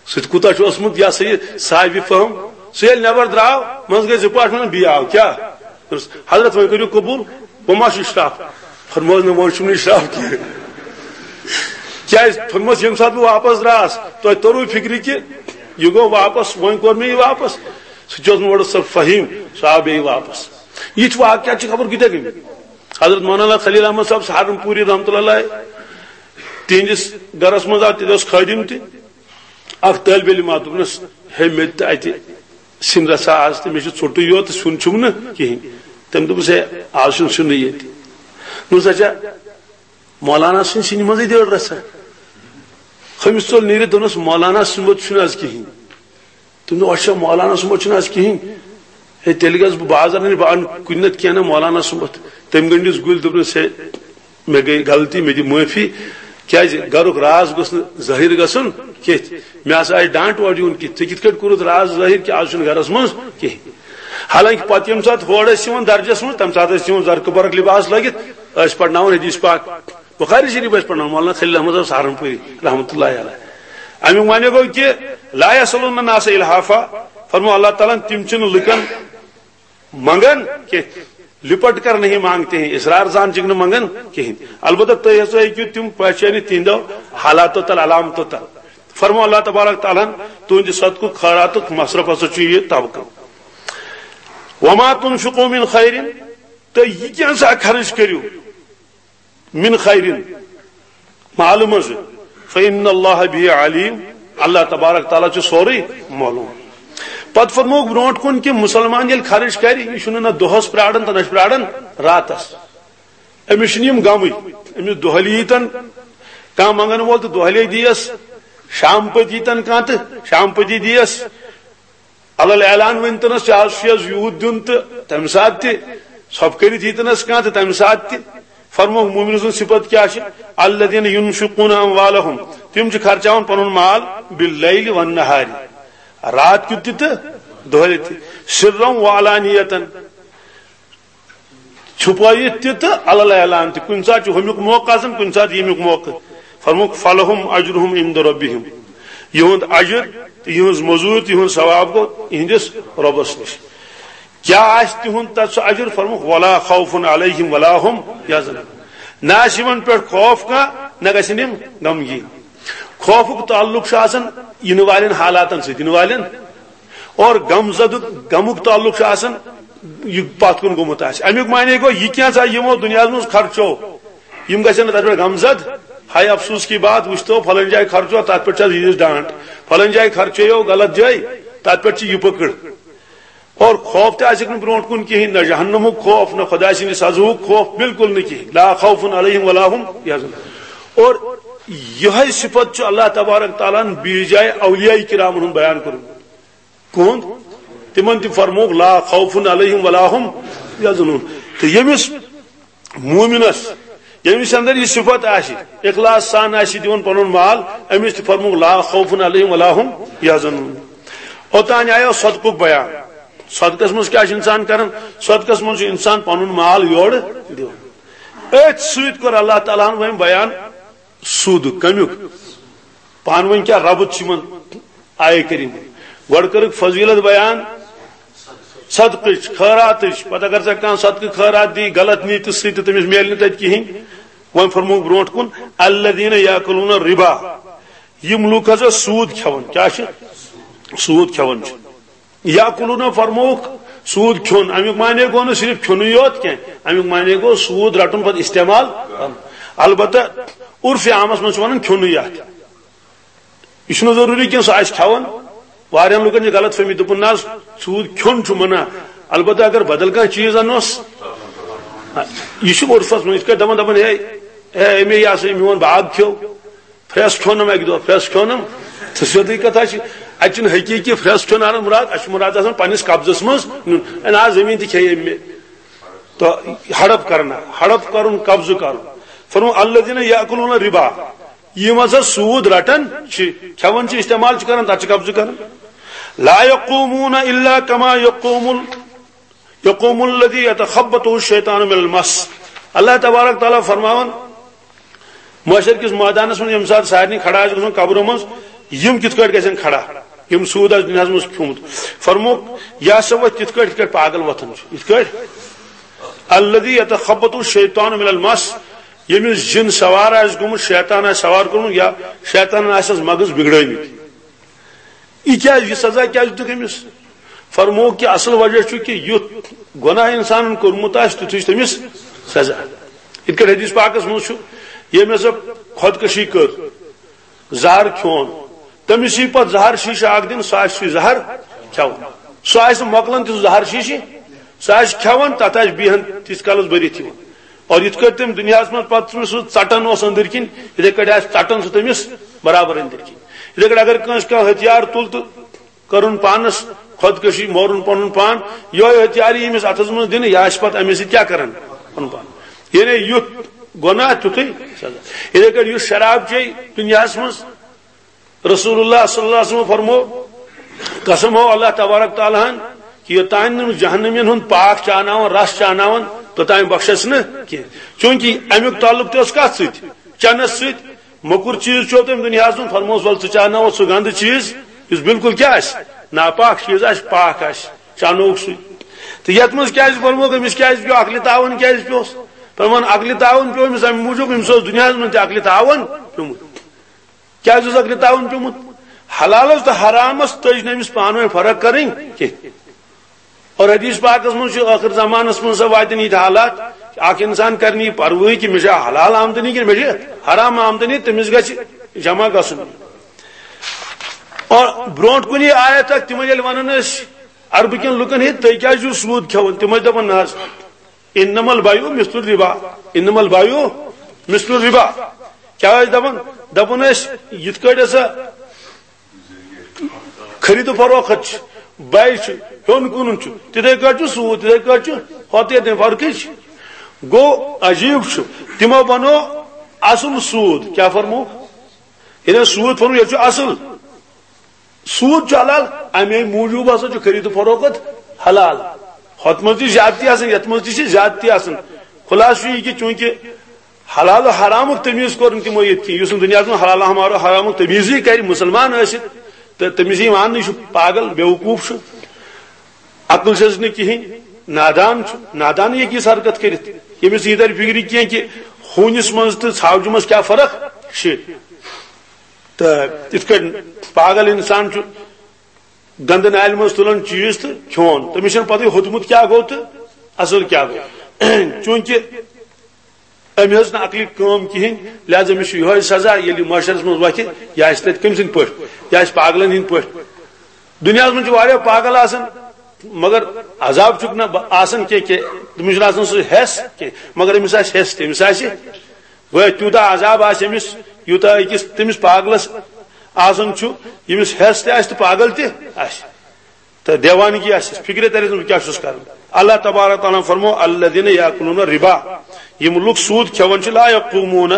سُہ تہِ کوٗتاہ چھُ اوسمُت، یہِ ہسا یہِ صاحبِ فہم۔ سُہ ییٚلہِ نٮ۪بر درٛاو، منٛزٕ گٔے زٕ پٲٹھۍ، ووٚنُن، "بیٚیہِ آو کیٛاہ؟" دوٚپُس، "حضرت، وۄنۍ کٔرِو قبوٗل، بہٕ ما چھُس اشراف؟" فرمووُس، "نہ، وۄنۍ چھُم نہٕ اشراف کینٛہہ۔" کیٛازِ؟ فرمووُس، "ییٚمہِ ساتہٕ بہٕ واپس درٛاس، تۄہہِ توٚروٕ فِکرِ کہِ یہِ گوٚو واپس، وۄنۍ کوٚر مےٚ یہِ واپس۔" سُہ تہِ اوس نہٕ اورٕ سُہ فہیٖم، سُہ آو بیٚیہِ واپس۔ یِتھۍ واقعات چھِ خبر کۭتیٛاہ گٔمٕتۍ۔ حضرت مولانا خلیل احمد صاحب سہارنپوری رحمتہ اللہ علیہ، تِہنٛدِس گرس منٛز آو، تتہِ اوس خٲدِم تہِ۔ اکھ طٲلبِ علم آو، دوٚپنس، "ہے، مےٚ تہِ اتہِ سِنۍ رژھا آز تہٕ مےٚ چھُ ژوٚٹُے یوت تہٕ سیُن چھُم نہٕ کِہینۍ۔" تٔمۍ دوٚپُس، "ہے، آز چھُنہٕ سیُنٕے ییٚتہِ۔" دوٚپُس، "اچھا، مولانا سٕنٛدِ سِنہِ منٛزٕے دِ أڑ رژھا۔" ہُمِس ژوٚل نیٖرِتھ، دوٚپنس، "مولانا سُنٛد چھُنہٕ آز کِہینۍ۔" تٔمۍ دوٚپ، "اچھا، مولانا سُنٛد چھُنہٕ آز کِہینۍ؟ ہے، تیٚلہِ گژھٕ بہٕ بازر، نہٕ بہٕ اَنہٕ کُنہِ نتہٕ کینٛہہ نہ مولانا سُنٛد۔" تٔمۍ گٔنٛڈِس گُلۍ، دوٚپنس، "ہے، مےٚ گٔے غلطی، مےٚ دِ معٲفی، کیٛازِ گرُک راز گوٚژھ نہٕ ظٲہِر گژھُن کینٛہہ۔ مےٚ ہسا آیہِ ڈانٹ اورٕ یِوُن کہِ ژےٚ کِتھ کٲٹھۍ کوٚرُتھ راز ظٲہِر کہِ آز چھُنہٕ گرس منٛز کِہینۍ۔" حالانکہِ پتہٕ ییٚمہِ ساتہٕ ہورٕ ٲسۍ یِوان درجس منٛز، تمہِ ساتہٕ ٲسۍ یِوان زرقہٕ برق لباس لٲگِتھ، ٲسۍ پرناوان حدیث پاک۔ بخاری شریف ٲسۍ پرناوان مولانا خلیل احمد صاحب سہارنپوری رحمتہ اللہ علیہ۔ امیُک معنی گوٚو کہِ لا یسألون الناس الحافا، فرمو اللہ تعالیٰ ہن، تِم چھِنہٕ لُکن منگان کینٛہہ، لپٹ کر نہیں مانگتے ہیں، اصرار سان چھِکھ نہٕ منگان کِہینۍ۔ البتہ تُہۍ ہسا ہیٚکِو تِم پہچٲنِتھ تِہنٛدیو حالاتو تل، علامتو تل۔ فرمو اللہ تبارک تعالیٰ ہن، تُہنٛدِ صدقُک خٲراتُک مصرف ہسا چھُ یہِ طبقہٕ۔ وما تنفقوا من خیر، تُہۍ یہِ کینٛژھا خرٕچ کٔرِو، من خیر، مالہٕ منٛزٕ، فإن اللہ به علیم، اللہ تبارک تعالیٰ چھُ سورُے معلوم۔ پتہٕ فرمووُکھ برونٛٹھ کُن کہِ مُسلمان ییٚلہِ خرٕچ کرِ، یہِ چھُنہٕ نہ دۄہس پراران تہٕ نہ چھُ پراران راتس۔ أمِس چھِنہٕ یِم غمٕے، أمِس دۄہلہِ ییٖتن، کانٛہہ منٛگن وول تہٕ دۄہلے دِیس، شام پٔتۍ ییٖتن کانٛہہ تہٕ شام پٔتی دِیس۔ علل اعلان ؤنۍ تنس، ژےٚ آز چھُے حظ یوٗت دیُن تہٕ تمہِ ساتہٕ تہِ ژھۄپہٕ کٔرِتھ یی تنس کانٛہہ تہٕ تمہِ ساتہٕ تہِ۔ فرمووُکھ مومنن سٕنٛز صفت کیٛاہ چھِ؟ الذین ینفقون اموالہم، تِم چھِ خرچاوان پنُن مال باللیل والنہار، رات کیُت تہِ تہٕ دۄہلہِ تہِ، سرا وعلانیتاً، چھُپٲیِتھ تہِ تہٕ علل اعلان تہِ۔ کُنہِ ساتہٕ چھُ ہُمیُک موقع آسان، کُنہِ ساتہٕ ییٚمیُک موقع۔ فرمووُکھ، فلہم اجرہم عند ربہم، یِہُنٛد اجر تہٕ یِہٕنٛز مٔزوٗرۍ تہٕ یِہُنٛد ثواب گوٚو یِہنٛدِس رۄبس نِش۔ کیٛاہ آسہِ تِہُنٛد تتھ سُہ اجر؟ فرمووُکھ، ولا خوف علیہم ولا ہم یحزنون، نہ آسہِ یِمن پٮ۪ٹھ خوف کانٛہہ، نہ گژھن یِم غمگیٖن۔ خوفُک تعلق چھُ آسان یِنہٕ والٮ۪ن حالاتن سۭتۍ، یِنہٕ والٮ۪ن اور غم زدُک، غمُک تعلق چھُ آسان یہِ پتھ کُن گوٚمُت آسہِ۔ امیُک معنی گوٚو، یہِ کینٛژھا یِمو دُنیاہس منٛز خرچو، یِم گژھن نہٕ تتھ پٮ۪ٹھ غم زد۔ ہاے افسوس کی بات، وٕچھتو فلٲنۍ جایہِ خرچو، تتھ پٮ۪ٹھ چھِ آز ییٖژ ڈانٹ، فلٲنۍ جایہِ خرچیو غلط جایہِ، تتھ پٮ۪ٹھ چھِ یہِ پٔکٕڑ۔ اور خوف تہِ آسٮ۪کھ نہٕ برونٛٹھ کُن کِہینۍ، نہ جہنمُک خوف، نہ خۄداے سٕنٛدِ سزاہُک خوف، بالکل نہٕ کِہینۍ۔ لا خوف علیہم ولا ہم یحزنون۔ اور یِہے صفت چھُ اللہ تبارک تعالیٰ ہن بیٚیِس جایہِ اولیاء کرامن ہُنٛد بیان کوٚرمُت۔ کُہُنٛد؟ تِمن تہِ فرمووُکھ، لا خوف علیہم ولا ہم یحزنون۔ تہٕ ییٚمِس مومنس، ییٚمِس اندر یہِ صفت آسہِ، اخلاص سان آسہِ دِوان پنُن مال، أمِس تہِ فرمووُکھ، لا خوف علیہم ولا ہم یحزنون۔ اوٚتام آیو صدقُک بیان۔ صدقس منٛز کیٛاہ چھُ انسان کران؟ صدقس منٛز چھُ انسان پنُن مال یورٕ دِوان۔ أتھۍ سۭتۍ کوٚر اللہ تعالیٰ ہن وۄنۍ بیان سود کمیُک۔ پانہٕ ؤنۍ کیٛاہ ربط چھُ یِمن آیہِ کریٖمہٕ؟ گۄڈٕ کٔرٕکھ فضیلت بیان صدقٕچ، خٲراتٕچ۔ پتہٕ اگر ژےٚ کانٛہہ صدقہٕ خٲرات دی غلط نیتہِ سۭتۍ تہٕ تٔمِس میلہِ نہٕ تتہِ کِہیٖنۍ۔ وۄنۍ فرمووُکھ برونٛٹھ کُن، الذین یاکلون الربا، یِم لُکھ ہسا سود کھٮ۪وان۔ کیٛاہ چھِ؟ سود کھٮ۪وان چھِ۔ یاکلون فرمووُکھ سود کھیوٚن۔ امیُک معنی گوٚو نہٕ صرف کھیوٚنُے یوت کینٛہہ، امیُک معنی گوٚو سود رٹُن پتہٕ استعمال کرُن۔ البتہ عرفِ عامس منٛز چھِ ونان کھیوٚنُے یتھ۔ یہِ چھُنہٕ ضروٗری کینٛہہ سُہ آسہِ کھٮ۪وان۔ واریاہن لُکن چھِ غلط فہمی، دوٚپُن، نہ حظ، سود کھیوٚن چھُ منع، البتہ اگر بدل کانٛہہ چیٖز انوس، یہِ چھُ عرفس منٛز یِتھ کٲٹھۍ دپان، دپان، ہے، ہے، أمے یہِ ہسا یہِ میون باغ کھیوٚو، پھرٛٮ۪س کھیوٚنم اکہِ دۄہ، پھرٛٮ۪س کھیوٚنم۔ تہٕ سیوٚدُے کتھا چھِ، اتہِ چھُنہٕ حقیٖقی پھرٛٮ۪س کھیوٚن انان مراد، اسہِ چھُ مراد آسان پننِس قبضس منٛز نیُن۔ ہے نہ، زٔمیٖن تہِ کھیٚیہِ أمۍ مےٚ۔ تو ہڑپ کرنا، ہڑپ کرُن، قبضہٕ کرُن۔ فرمو، الذین یاکلون الربا، یِم ہسا سود رٹان چھِ، کھٮ۪وان چھِ، استعمال چھِ کران، تتھ چھِ قبضہٕ کران۔ لا یقومون الا کما یقوم ال-، یقوم الذی یتخبطہ الشیطان من المس۔ اللہ تبارک تعالیٰ فرماوان، محشر کِس مٲدانس منٛز ییٚمہِ ساتہٕ سارنٕے کھڑا آسہِ گژھُن قبرو منٛز، یِم کِتھ کٲٹھۍ گژھن کھڑا، یِم سود آسہِ دُنیاہس منٛز کھیوٚمُت؟ فرمووُکھ، یہِ ہسا وۄتھِ تِتھ کٲٹھۍ، یِتھ کٲٹھۍ پاگل وۄتھان چھُ۔ یِتھ کٲٹھۍ؟ الذی یتخبطہ الشیطان من المس، ییٚمِس جِن سوار آسہِ گوٚمُت، شیطان آسہِ سوار کوٚرمُت، یا شیطانن آسٮ۪س مغز بگڑٲومٕتۍ۔ یہِ کیٛازِ، یہِ سزا کیٛازِ دیُتُکھ أمِس؟ فرمووُکھ کہِ اصل وجہ چھُ کہِ یُتھ گۄناہ انسانن کوٚرمُت آسہِ، تیُتھُے چھُ تٔمِس سزا۔ یِتھ کٲٹھۍ حدیث پاکس منٛز چھُ، ییٚمۍ ہسا خودکشی کٔر، زہر کھیوٚن، تٔمِس یی پتہٕ زہر شیٖشہٕ اکھ دِنہٕ، سُہ آسہِ سُے زہر کھٮ۪وان۔ سُہ آسہِ نہٕ مۄکلان تہِ سُہ زہر شیٖشہٕ، سُہ آسہِ کھٮ۪وان، تتھ آسہِ بیہان تیٖتِس کالس بٔرِتھ یِوان۔ اور یِتھ کٲٹھۍ تٔمۍ دُنیاہس منٛز پتہٕ سُہ ژٹان اوس أنٛدٕرۍ کِنۍ، یِتھے کٲٹھۍ آسہِ ژٹان سُہ تٔمِس برابر أنٛدٕرۍ کِنۍ۔ یِتھے کٲٹھۍ اگر کٲنٛسہِ کانٛہہ ہتھیار تُل تہٕ کٔرٕن پانس خودکشی، مورُن پنُن پان، یِہوٚے ہتھیار یی أمِس اتھس منٛز دِنہٕ، یہِ آسہِ پتہٕ اَمے سۭتۍ کیٛاہ کران؟ پنُن پان۔ یعنی یُتھ گۄناہ تیُتھُے سزا۔ یِتھے کٲٹھۍ یُس شراب چیٚیہِ دُنیاہس منٛز، رسول اللہ صلی اللہ علیہ وسلم فرمو، قسم ہو اللہ تبارک تعالیٰ ہن کہ یوٚتام نہٕ جہنمین ہُنٛد پاک چاناوان، رس چاناوان، توٚتام بخشس نہٕ کینٛہہ۔ چونکہ امیُک تعلق تہِ اوس کتھ سۭتۍ؟ چنس سۭتۍ۔ موٚکُر چیٖز چیوٚو تٔمۍ دُنیاہس منٛز، فرموس، ول ژٕ چاناوتھ سُہ گنٛدٕ چیٖز یُس بالکل کیٛاہ آسہِ؟ ناپاک چیٖز آسہِ، پاک آسہِ، چانووُکھ سُے۔ تہٕ یتھ منٛز کیٛازِ فرمووُکھ، أمِس کیٛازِ پیوٚو عقلِ تاوُن، کیٛازِ پیوٚس؟ فرمان، عقلِ تاوُن پیوٚو أمِس امہِ موٗجوٗب، أمِس اوس دُنیاہس منٛز تہِ عقلِ تاوُن پیوٚمُت۔ کیٛازِ اوس عقلِ تاوُن پیوٚمُت؟ حلالس تہٕ حرامس تٔج نہٕ أمِس پانہٕ ؤنۍ فرق کرٕنۍ کینٛہہ۔ اور حدیث پاکس منٛز چھُ ٲخر زمانس منٛز سا واتن یِتھۍ حالات، اکھ انسان کرِ نہٕ یہِ پرواہٕے کہِ مےٚ چھا حلال آمدنی کِنہٕ مےٚ چھِ حرام آمدنی، تٔمِس گژھِ جمع گژھُن۔ اور برونٛٹھ کُنہِ آیت اکھ تِمن ییٚلہِ ونان ٲسۍ عربہٕ کٮ۪ن لُکن، ہے، تُہۍ کیٛازِ چھِو سوٗد کھٮ۪وان؟ تِم ٲسۍ دپان، نہ حظ، انما البیع مثل الربا، انما البیع مثل الربا۔ کیٛاہ ٲسۍ دپان؟ دپان ٲسۍ، یِتھ کٲٹھۍ ہسا خرید و فروخت چھِ، بے چھِ، ہیوٚن کٕنُن چھُ، تِتھے کٲٹھۍ چھُ سوٗد، تِتھے کٲٹھۍ چھُ، ہۄتھ ییٚتہِ فرقٕے چھِ۔ گوٚو عجیٖب چھُ، تِمو بنوو اصل سوٗد۔ کیٛاہ فرموو؟ ییٚلہِ سوٗد فرموو، ییٚتہِ چھُ اصل۔ سوٗد چھُ حلال، امے موٗجوٗب ہسا چھُ خرید و فروخت حلال۔ ہۄتھ منٛز تہِ چھِ زیادتی آسان، یتھ منٛز تہِ چھِ زیادتی آسان۔ خلاصہٕ چھُ یہِ کہِ چوٗنٛکہِ حلال و حرامُک تمیٖز کوٚر نہٕ تِمو ییٚتہِ کینٛہہ۔ یُس نہٕ دُنیاہس منٛز حلال و حرامُک تمیٖزٕے کرِ، مُسلمان ٲسِتھ، تہٕ تٔمِس یی ماننہٕ، یہِ چھُ پاگل، بیوقوٗف چھُ، عقل چھَس نہٕ کِہیٖنۍ، نادان چھُ۔ نادان ہیٚکہِ یِژھ حرکت کٔرِتھ، ییٚمِس یہِ تَرِ فِکرِ کینٛہہ کہِ ہوٗنِس منٛز تہٕ ژھاوجہِ منٛز کیٛاہ فرق چھِ۔ تہٕ یِتھ کٔنۍ پاگل اِنسان چھُ گنٛدٕ نالہِ منٛز تُلان چیٖز تہٕ کھیوٚن، تٔمِس چھَنہٕ پَتہٕ ہوٚتمُت کیٛاہ گوٚو تہٕ اَصٕل کیٛاہ گوٚو۔ چوٗنٛکہِ أمۍ ہیٚژ نہٕ عقلہِ کٲم کِہیٖنۍ، لہذا أمِس چھُ یِہوٚے سزا، ییٚلہِ یہِ محشرَس منٛز وۄتھِ، یہِ آسہِ تَتہِ کٔمۍ سٕنٛدۍ پٲٹھۍ؟ یہِ آسہِ پاگلَن ہٕنٛدۍ پٲٹھۍ۔ دُنیاہَس منٛز چھِ واریاہ پاگل آسان، مگر عذاب چھُکھ نہٕ ب-، آسان کینٛہہ، کینٛہہ، تٔمِس چھُنہٕ آسان سُہ حٮ۪س کینٛہہ، مگر أمِس آسہِ حٮ۪س، تٔمِس آسہِ گویا تیوٗتاہ عذاب آسہِ أمِس، یوٗتاہ أکِس تٔمِس پاگلَس آسان چھُ، ییٚمِس حٮ۪س تہِ آسہِ تہٕ پاگل تہِ آسہِ۔ تہٕ دیوانگی آسٮ۪س، فِکرِ تَرٮ۪س نہٕ بہٕ کیٛاہ چھُس کران۔ اللہ تبارک تعالیٰ ہن فرمو، الذین یاکلون الربا، یِم لُکھ سوٗد کھٮ۪وان چھِ، لا یقومون،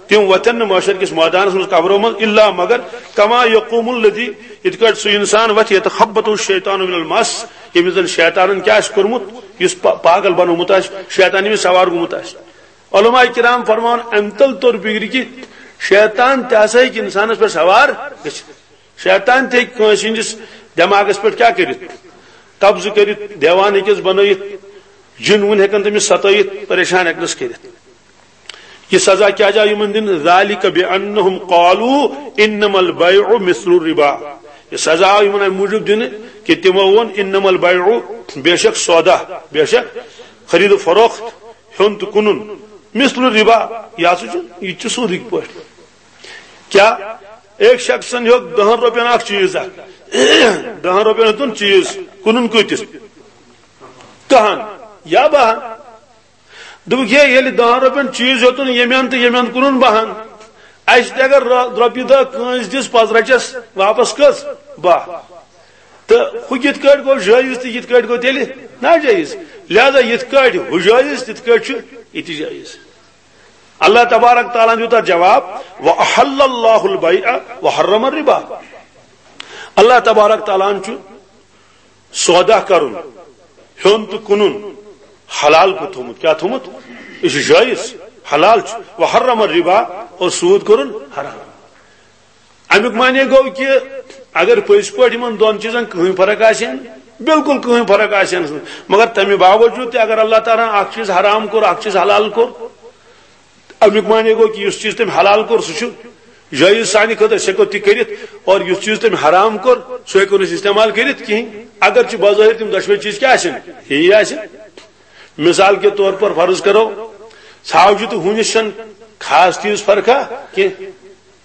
تِم وۄتھن نہٕ محشر کِس مٲدانس منٛز قبرو منٛز، الا، مگر، کما یقوم الذی، یِتھ کٲٹھۍ سُہ انسان وۄتھِ، یتخبطہ الشیطان من المس، ییٚمِس زن شیطانن کیٛاہ آسہِ کوٚرمُت، یُس پا-، پاگل بنوومُت آسہِ، شیطان ییٚمِس سوار گوٚمُت آسہِ۔ علماء کرام فرماوان، امہِ تل توٚر فِکرِ کہِ شیطان تہِ ہسا ہیٚکہِ انسانس پٮ۪ٹھ سوار گٔژھِتھ۔ شیطان تہِ ہیٚکہِ کٲنٛسہِ ہٕنٛدِس دٮ۪ماغس پٮ۪ٹھ کیٛاہ کٔرِتھ؟ قبضہٕ کٔرِتھ، دیوانہٕ ہیٚکٮ۪س بنٲیِتھ، جِن وُن ہیٚکن تٔمِس ستٲیِتھ، پریشان ہیٚکنس کٔرِتھ۔ یہِ سزا کیٛازِ آو یِمن دِنہٕ؟ ذالک بانہم قالوا انما البیع مثل الربا۔ یہِ سزا آو یِمن امہِ موٗجوٗب دِنہٕ کہِ تِمو ووٚن، انما البیع، بے شک سودا، بے شک خرید و فروخت، ہیوٚن تہٕ کٕنُن، مثل الربا، یہِ ہسا چھُ، یہِ تہِ چھُ سوٗدٕکۍ پٲٹھۍ۔ کیا ایک شخصن ہیوٚت دہن رۄپین اکھ چیٖز اکھ، دہن رۄپین ہیوٚتُن چیٖز، کٕنُن کۭتِس؟ دہن یا بہن۔ دوٚپُکھ، ہے، ییٚلہِ دہن رۄپین چیٖز ہیوٚتُن ییٚمہِ اندٕ تہٕ ییٚمہِ اندٕ کٕنُن بہن، اسہِ تہِ اگر رۄ-، رۄپیہِ دہ کٲنٛسہِ دِژ، پتہٕ رچس واپس کٔژ؟ باہ۔ تہٕ ہُہ کِتھ کٲٹھۍ گوٚو جٲیز تہٕ یِتھ کٲٹھۍ گوٚو تیٚلہِ ناجٲیز؟ لہذا یِتھ کٲٹھۍ ہُہ جٲیز، تِتھ کٲٹھۍ چھُ یہِ تہِ جٲیز۔ اللہ تبارک تعالیٰ ہن دیُت اتھ جواب، "وَأَحَلَّ اللَّهُ الْبَيْعَ وَحَرَّمَ الرِّبَا۔" اللہ تبارک تعالیٰ ہن چھُ سودا کرُن، ہیوٚن تہٕ کٕنُن حلال کوٚر تھوٚمُت۔ کیٛاہ تھوٚمُت؟ یہِ چھُ جٲیز، حلال چھُ۔ "وَحَرَّمَ الرِّبَا"، اور سوٗد کوٚرُن حرام۔ امیُک معنی گوٚو کہِ اگر پٔزۍ پٲٹھۍ یِمن دۄن چیٖزن کٕہٕنۍ فرق آسہِ ہن، بالکل کٕہٕنۍ فرق آسہِ ہن، مگر تمہِ باوجوٗد تہِ اگر اللہ تعالیٰ ہن اکھ چیٖز حرام کوٚر، اکھ چیٖز حلال کوٚر، امیُک معنی گوٚو کہِ یُس چیٖز تٔمۍ حلال کوٚر، سُہ چھُ جٲیز سانہِ خٲطرٕ، أسۍ ہٮ۪کو تہِ کٔرِتھ، اور یُس چیٖز تٔمۍ حرام کوٚر، سُہ ہٮ۪کو نہٕ أسۍ استعمال کٔرِتھ کِہیٖنۍ۔ اگرچہِ بظٲہِر تِم دۄشوے چیٖز کیٛاہ آسن، یی آسن۔ مثال کے طور پر فرض کرو، ژھاوجہِ تہٕ ہوٗنِس چھَنہٕ خاص تیٖژ فرقہ کینٛہہ۔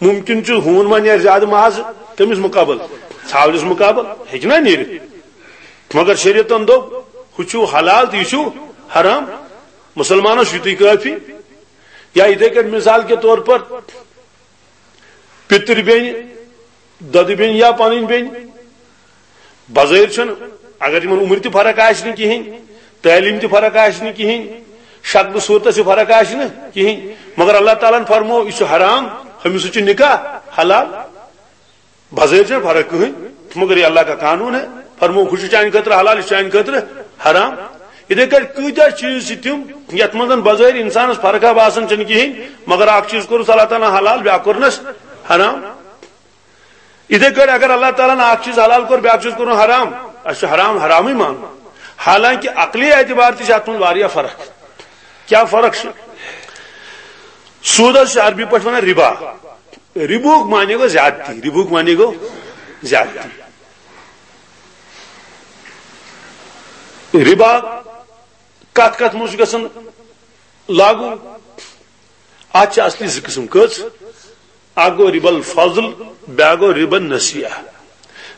مُمکِن چھُ ہوٗن ما نیرِ زیادٕ مازٕ کٔمِس مُقابل؟ ژھاوجِس مُقابل ہیٚکہِ نا نیٖرِتھ۔ مگر شریعتن دوٚپ، ہُہ چھُ حلال تہٕ یہِ چھُ حرام۔ مُسلمانس چھُ یِتُے کٲفی۔ یا یِتھے کٔنۍ مثال کے طور پر پِتٕر بیٚنہِ، دۄدٕ بیٚنہِ یا پنٕنۍ بیٚنہِ، بظٲہِر چھُنہٕ، اگر یِمن عمرِ تہِ فرق آسہِ نہٕ کِہیٖنۍ، تعلیٖم تہِ فرق آسہِ نہٕ کِہیٖنۍ، شکلہٕ صوٗرتس تہِ فرق آسہِ نہٕ کِہیٖنۍ، مگر اللہ تعالیٰ ہن فرموو، یہِ چھُ حرام، ہُمِس سۭتۍ چھُ نکاح حلال۔ بظٲہِر چھَنہٕ فرق کٕہٕنۍ، مگر یہ اللہ کا قانون ہے، فرموو، ہُہ چھُ چانہِ خٲطرٕ حلال، یہِ چھُ چانہِ خٲطرٕ حرام۔ یِتھے کٲٹھۍ کۭتیاہ چیٖز چھِ تِم، یتھ منٛز زن بظٲہِر انسانس فرقہ باسان چھَنہٕ کِہیٖنۍ، مگر اکھ چیٖز کوٚرُس اللہ تعالیٰ ہن حلال، بیٛاکھ کوٚرنس حرام۔ یِتھے کٲٹھۍ اگر اللہ تعالیٰ ہن اکھ چیٖز حلال کوٚر، بیٛاکھ چیٖز کوٚرُن حرام، اسہِ چھُ حرام حرامٕے مانُن، حالانکہ عقلی اعتبار تہِ چھِ اتھ منٛز واریاہ فرق۔ کیٛاہ فرق چھِ؟ سوٗدس چھِ عربی پٲٹھۍ ونان رِبا۔ رِبُہُک معنی گوٚو زیادتی، رِبُہُک معنی گوٚو زیادتی۔ رِبا کتھ کتھ منٛز چھُ گژھان لاگو؟ اتھ چھِ اصلی زٕ قٕسم۔ کٔژ؟ اکھ گوٚو رِبا الفضل، بیٛاکھ گوٚو رِبا النسیئہ۔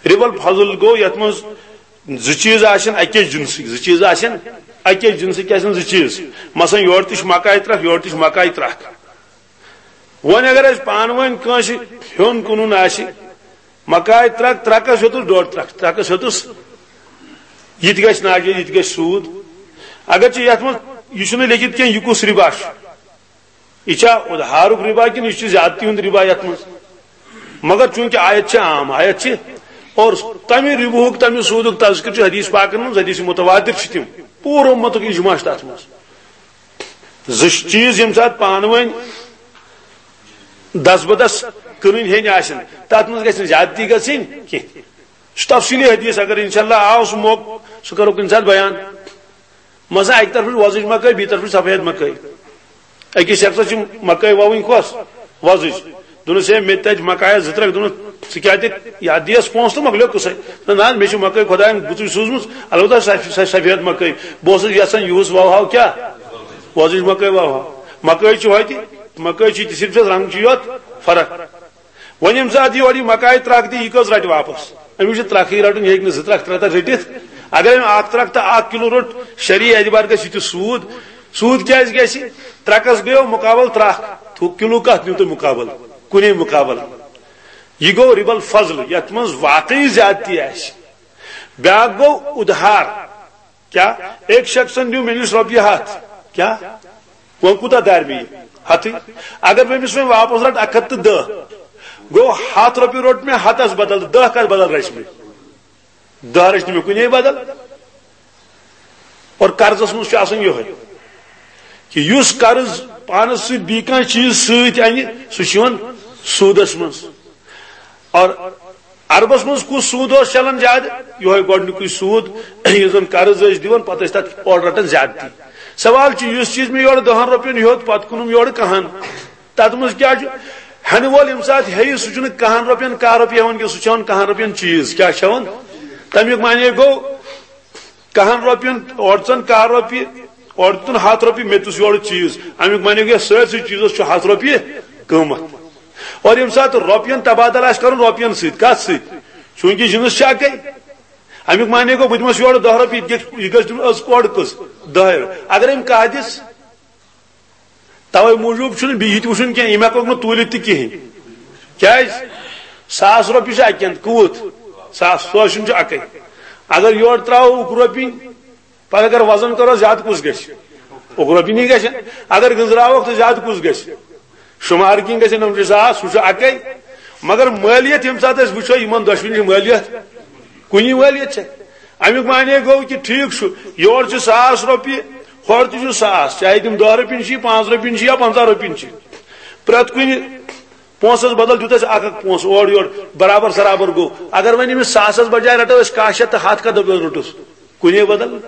رِبا الفضل گوٚو یتھ منٛز زٕ چیٖز آسن اکے جنسٕکۍ، زٕ چیٖز آسن اکے جنسٕکۍ، کیٛاہ آسن زٕ چیٖز؟ مثلاً یورٕ تہِ چھِ مکایہِ ترکھ، یورٕ تہِ چھِ مکایہِ ترکھ۔ وۄنۍ اگر اسہِ پانہٕ ؤنۍ کٲنٛسہِ ہیوٚن کٕنُن آسہِ، مکایہِ ترکھ، ترکس ہیوٚتُس ڈۄڈ ترکھ، ترکس ہیوٚتُس، یہِ تہِ گژھِ ناجٲیز، یہِ تہِ گژھِ سوٗد۔ اگرچہِ یتھ منٛز یہِ چھُنہٕ لیکھِتھ کینٛہہ، یہِ کُس رِبا چھُ؟ یہِ چھا اُدھارُک رِبا کِنہٕ یہِ چھُ زیادتی ہُنٛد رِبا یتھ منٛز؟ مگر چوٗنٛکہِ آیت چھِ عام، آیت چھِ، اور تمہِ رِبُہُک، تمہِ سوٗدُک تذکر چھُ حدیث پاکن منٛز، حدیث متواتر چھِ تِم، پوٗرٕ اُمتُک اجماع چھُ تتھ منٛز۔ زٕ چیٖز ییٚمہِ ساتہٕ پانہٕ ؤنۍ دس بدس کٕنٕنۍ ہیٚنۍ آسن، تتھ منٛز گژھِ نہٕ زیادتی گژھٕنۍ کینٛہہ۔ یہِ چھُ تفصیٖلی حدیث، اگر انشاءاللہ آو سُہ موقعہٕ، سُہ کرو کُنہِ ساتہٕ بیان۔ مثلاً اکہِ طرفہٕ چھِ وۄزٕج مکٲے، بیٚیہِ طرفہٕ چھِ سفید مکٲے۔ أکِس شخصس چھِ مکٲے وَوٕنۍ کۄس؟ وۄزٕج۔ دوٚپنَس، "ہے، مےٚ تہِ تَتہِ مکایَس زٕ ترٛکھ۔" دوٚپنَس، "ژٕ کیٛاہ دِکھ؟ یَتھ دِیَس پونٛسہٕ تہٕ مۄکلیو قٕصَے۔" دوٚپنَس، "نہ حظ، مےٚ چھِ مکٲے خۄدایَن گُتُج سوٗزمٕژ، البتہ سۄ، سۄ سفید مکٲے۔ بہٕ اوسُس یَژھان یِہُس وَوہاو کیٛاہ؟ وۄزٕج مکٲے وَوہاو۔" مکٲے چھِ ہوٚتہِ، مکٲے چھِ تہِ صرف چھَس رنٛگ چھُ یوت فرق۔ وۄنۍ ییٚمہِ ساتہٕ یورٕ یہِ مکایہِ ترٛکھ دِیہِ، یہِ کٔژ رَٹہِ واپس؟ أمِس چھُ ترٛکھٕے رَٹُن، یہِ ہیٚکہِ نہٕ زٕ ترٛکھ، ترٛےٚ ترٛکھ رٔٹِتھ۔ اگر أمۍ اَکھ ترٛکھ تہٕ اَکھ کِلوٗ روٚٹ، شرعی اعتبار گژھِ یہِ تہِ سوٗد۔ سوٗد کیٛازِ گژھِ؟ ترٛکَس گٔیو مُقابل ترٛکھ، تہٕ کِلوٗ کَتھ نیوٗ تۄہہِ مُقابل؟ کُنے مُقابل۔ یہِ گوٚو رِبا الفضل، یَتھ منٛز واقعی زیادتی آسہِ۔ بیٛاکھ گوٚو اُدھار۔ کیا ایک شخصن دیُت مےٚ نِش رۄپیہِ ہَتھ؟ کیا؟ وۄنۍ کوٗتاہ دارِ مےٚ یہِ؟ ہَتھٕے۔ اگر بہٕ أمِس وۄنۍ واپس رَٹہٕ اَکھ ہَتھ تہٕ دَہ، گوٚو ہَتھ رۄپیہِ روٚٹ مےٚ، ہَتَس بدل دَہ کَتھ بدل رَچہِ مےٚ؟ دَہ رَچہِ نہٕ مےٚ کُنے بدل۔ اور قرضس منٛز چھُ آسان یِہوٚے کہِ یُس قرض پانس سۭتۍ بیٚیہِ کانٛہہ چیٖز سۭتۍ اَنہِ، سُہ چھُ یِوان سوٗدس منٛز۔ اور عربس منٛز کُس سوٗد اوس چلان زیادٕ؟ یِہوٚے گۄڈٕنیُکُے سوٗد، یُس زن قرض ٲسۍ دِوان، پتہٕ ٲسۍ تتھ اورٕ رٹان زیادتی۔ سوال چھُ، یُس چیٖز مےٚ یورٕ دَہن رۄپین ہیوٚت، پتہٕ کٕنُم یورٕ کہن، تتھ منٛز کیٛاہ چھُ؟ ہٮ۪نہٕ وول ییٚمہِ ساتہٕ ہیٚیہِ، سُہ چھُنہٕ کہن رۄپین کاہ رۄپیہِ ہٮ۪وان کینٛہہ، سُہ چھُ ہٮ۪وان کہن رۄپین چیٖز۔ کیٛاہ چھُ ہٮ۪وان؟ تمیُک معنی گوٚو، کہن رۄپین اورٕ ژن کاہ رۄپیہِ، اورٕ دیُتن ہتھ رۄپیہِ، مےٚ تہِ اوس یورٕ چیٖز۔ امیُک معنی گوٚو، سٲرسٕے چیٖزس چھُ ہتھ رۄپیہِ قۭمتھ۔ اور ییٚمہِ ساتہٕ رۄپین تبادلہٕ آسہِ کرُن رۄپین سۭتۍ، کتھ سۭتۍ؟ چوٗنٛکہِ جنس چھِ اکے۔ امیُک معنی گوٚو، بہٕ دِمس یورٕ دَہ رۄپیہِ، یہِ تہِ گژھِ، یہِ گژھِ دیُن أز کورٕ کٔژ؟ دَہ۔ اگر أمۍ کاہ دِژ، توے موٗجوٗب چھُنہٕ بیٚیہِ یہِ تہِ وٕچھُن کینٛہہ، یِم ہٮ۪کوکھ نہٕ توٗلِتھ تہِ کِہیٖنۍ۔ کیٛازِ؟ ساس رۄپیہِ چھِ اَکہِ اَندٕ، کوٗت؟ ساس، سُہ چھُنہٕ چھُ اَکٕے۔ اگر یورٕ ترٛاوو اُکہٕ رۄپِنۍ، پَتہٕ اگر وزن کَرو، زیادٕ کُس گژھِ؟ اُکہٕ رۄپِنی گژھِ۔ اگر گٔنٛزراووکھ، تہٕ زیادٕ کُس گژھِ؟ شُمار کِنۍ گژھِ نَمتھ ساس، سُہ چھُ اَکٕے۔ مگر مٲلیت ییٚمہِ ساتہٕ أسۍ وٕچھو، یِمن دۄشوٕنی چھِ مٲلیت کُنی وٲلِتھ چھےٚ۔ امیُک معنی گوٚو کہِ ٹھیٖک چھُ، یورٕ چھُ ساس رۄپیہِ، ہورٕ تہِ چھُ ساس، چاہے تِم دَہ رۄپیہِ چھِ، پانٛژھ رۄپیہِ چھِ یا پنٛژاہ رۄپیہِ چھِ، پرٛٮ۪تھ کُنہِ پونٛسس بدل دیُت اَسہِ اکھ اکھ پونٛسہٕ اورٕ یورٕ، برابر سرابر گوٚو۔ اگر وۄنۍ أمِس ساسس بجایہِ رٹو أسۍ کاہ شیٚتھ تہٕ ہتھ، کتھ دۄہس روٚٹُس؟ کُنے بدل۔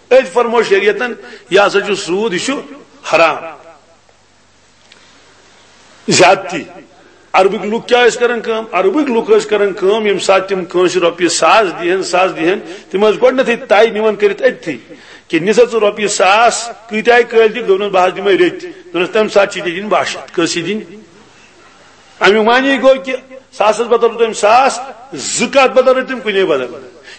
أتھۍ فرموو شریعتن، یہِ ہسا چھُ سوٗد، یہِ چھُ حرام۔ زیادتی۔ عربٕکۍ لُکھ کیٛاہ ٲسۍ کران کٲم؟ عربٕکۍ لُکھ ٲسۍ کران کٲم، ییٚمہِ ساتہٕ تِم کٲنٛسہِ رۄپیہِ ساس دِہن، ساس دِہن، تِم ٲسۍ گۄڈٕنیتھٕے طے نِوان کٔرِتھ أتتھٕے کہِ نِسا ژٕ رۄپیہِ ساس، کۭتیاہ کٲلۍ دِکھ؟ دوٚپنَس، بہٕ حظ دِمے رٔتۍ۔ دوٚپنَس، تَمہِ ساتہٕ چھِ ژےٚ دِنۍ باہ شیٚتھ۔ کٲنٛسہِ دِنۍ؟ اَمیُک معنی گوٚو کہِ ساسَس بدل روٚٹ أمۍ ساس، زٕ کَتھ بدل رٔٹۍ تٔمۍ؟ کُنے بدل۔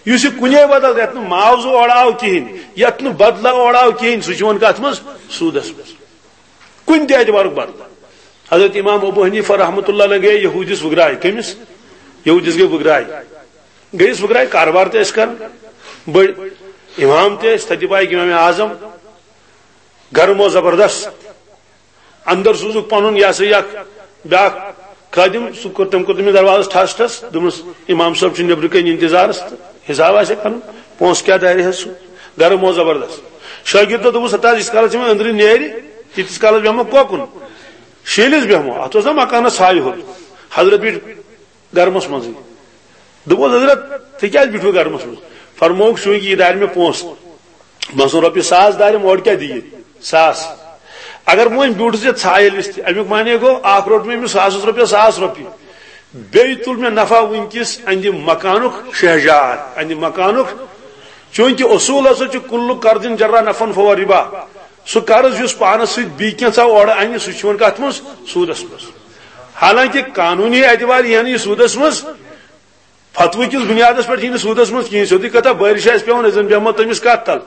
یُس یہِ کُنے بدل، یَتھ نہٕ معاوضہٕ اورٕ آو کِہیٖنۍ، یَتھ نہٕ بدلہ اورٕ آو کِہیٖنۍ، سُہ چھُ یِوان کَتھ منٛز؟ سوٗدَس منٛز۔ کُنہِ تہِ اعتبارُک بدلہٕ۔ حضرت امام ابو حنیفہ رحمۃ اللہ علیہ گٔے یہوٗدِس وٕگراے۔ کٔمِس؟ یہوٗدِس گٔے وٕگراے۔ گٔیِس وٕگراے، کاربار تہِ ٲسۍ کران، بٔڑۍ امام تہِ ٲسۍ، تَتہِ پایِکۍ امام اعظم، گرم و زبردست۔ اندر سوٗزُکھ پنُن، یہِ ہسا یہِ اکھ بیٛاکھ خٲدِم، سُہ کوٚر، تٔمۍ کوٚر تٔمِس دروازس ٹھس ٹھس، دوٚپمَس، امام صٲب چھُ نیٚبرٕ کَنۍ انتظارس تہٕ حساب آسہِ کرُن، پونٛسہٕ کیٛاہ دارِ حظ سُہ؟ گرم و زبردست۔ شٲگِردو دوٚپُس، ہتا، ییٖتِس کالس یِم أنٛدرٕ نیرِ، تیٖتِس کالس بیٚہمو کوکُن، شیٖلِس بیٚہمو، اتھ اوس نا مکانس ژھایہِ ہیوٚر۔ حضرت بیٖٹھ گرمس منٛزٕے۔ دوٚپُس، حضرت، تُہۍ کیٛازِ بیٖٹھوٕ گرمس منٛز؟ فرمووُکھ، چوٗنٛکہِ یہِ دارِ مےٚ پونٛسہٕ، مثلاً رۄپیہِ ساس دارٮ۪م، اورٕ کیٛاہ دِیہِ؟ ساس۔ اگر بہٕ وۄنۍ بیوٗٹھُس یَتھ ژھایہِ ہِلِس تہِ، اَمیُک معنی گوٚو، اکھ روٚٹ مےٚ أمِس ساسَس رۄپیَس ساس رۄپیہِ، بیٚیہِ تُل مےٚ نفع وٕنکِس اَنہِ مکانُک شہجار، اَنہِ مکانُک، چوٗنٛکہِ اصوٗل ہسا چھُ، کُلُ قرض جرّ نفعاً فہو ربا، سُہ قرض یُس پانس سۭتۍ بیٚیہِ کینٛژھا اورٕ اَنہِ، سُہ چھُ یِوان کتھ منٛز؟ سوٗدس منٛز۔ حالانکہِ قانوٗنی اعتبار یِیہِ نہٕ یہِ سوٗدس منٛز، فتوٕ کِس بُنیادس پٮ۪ٹھ یِیہِ نہٕ سوٗدس منٛز کِہیٖنۍ۔ سیوٚدُے کتھا، بٲرِش آسہِ پٮ۪وان، أسۍ زن بیٚہمو تٔمِس کتھ تل،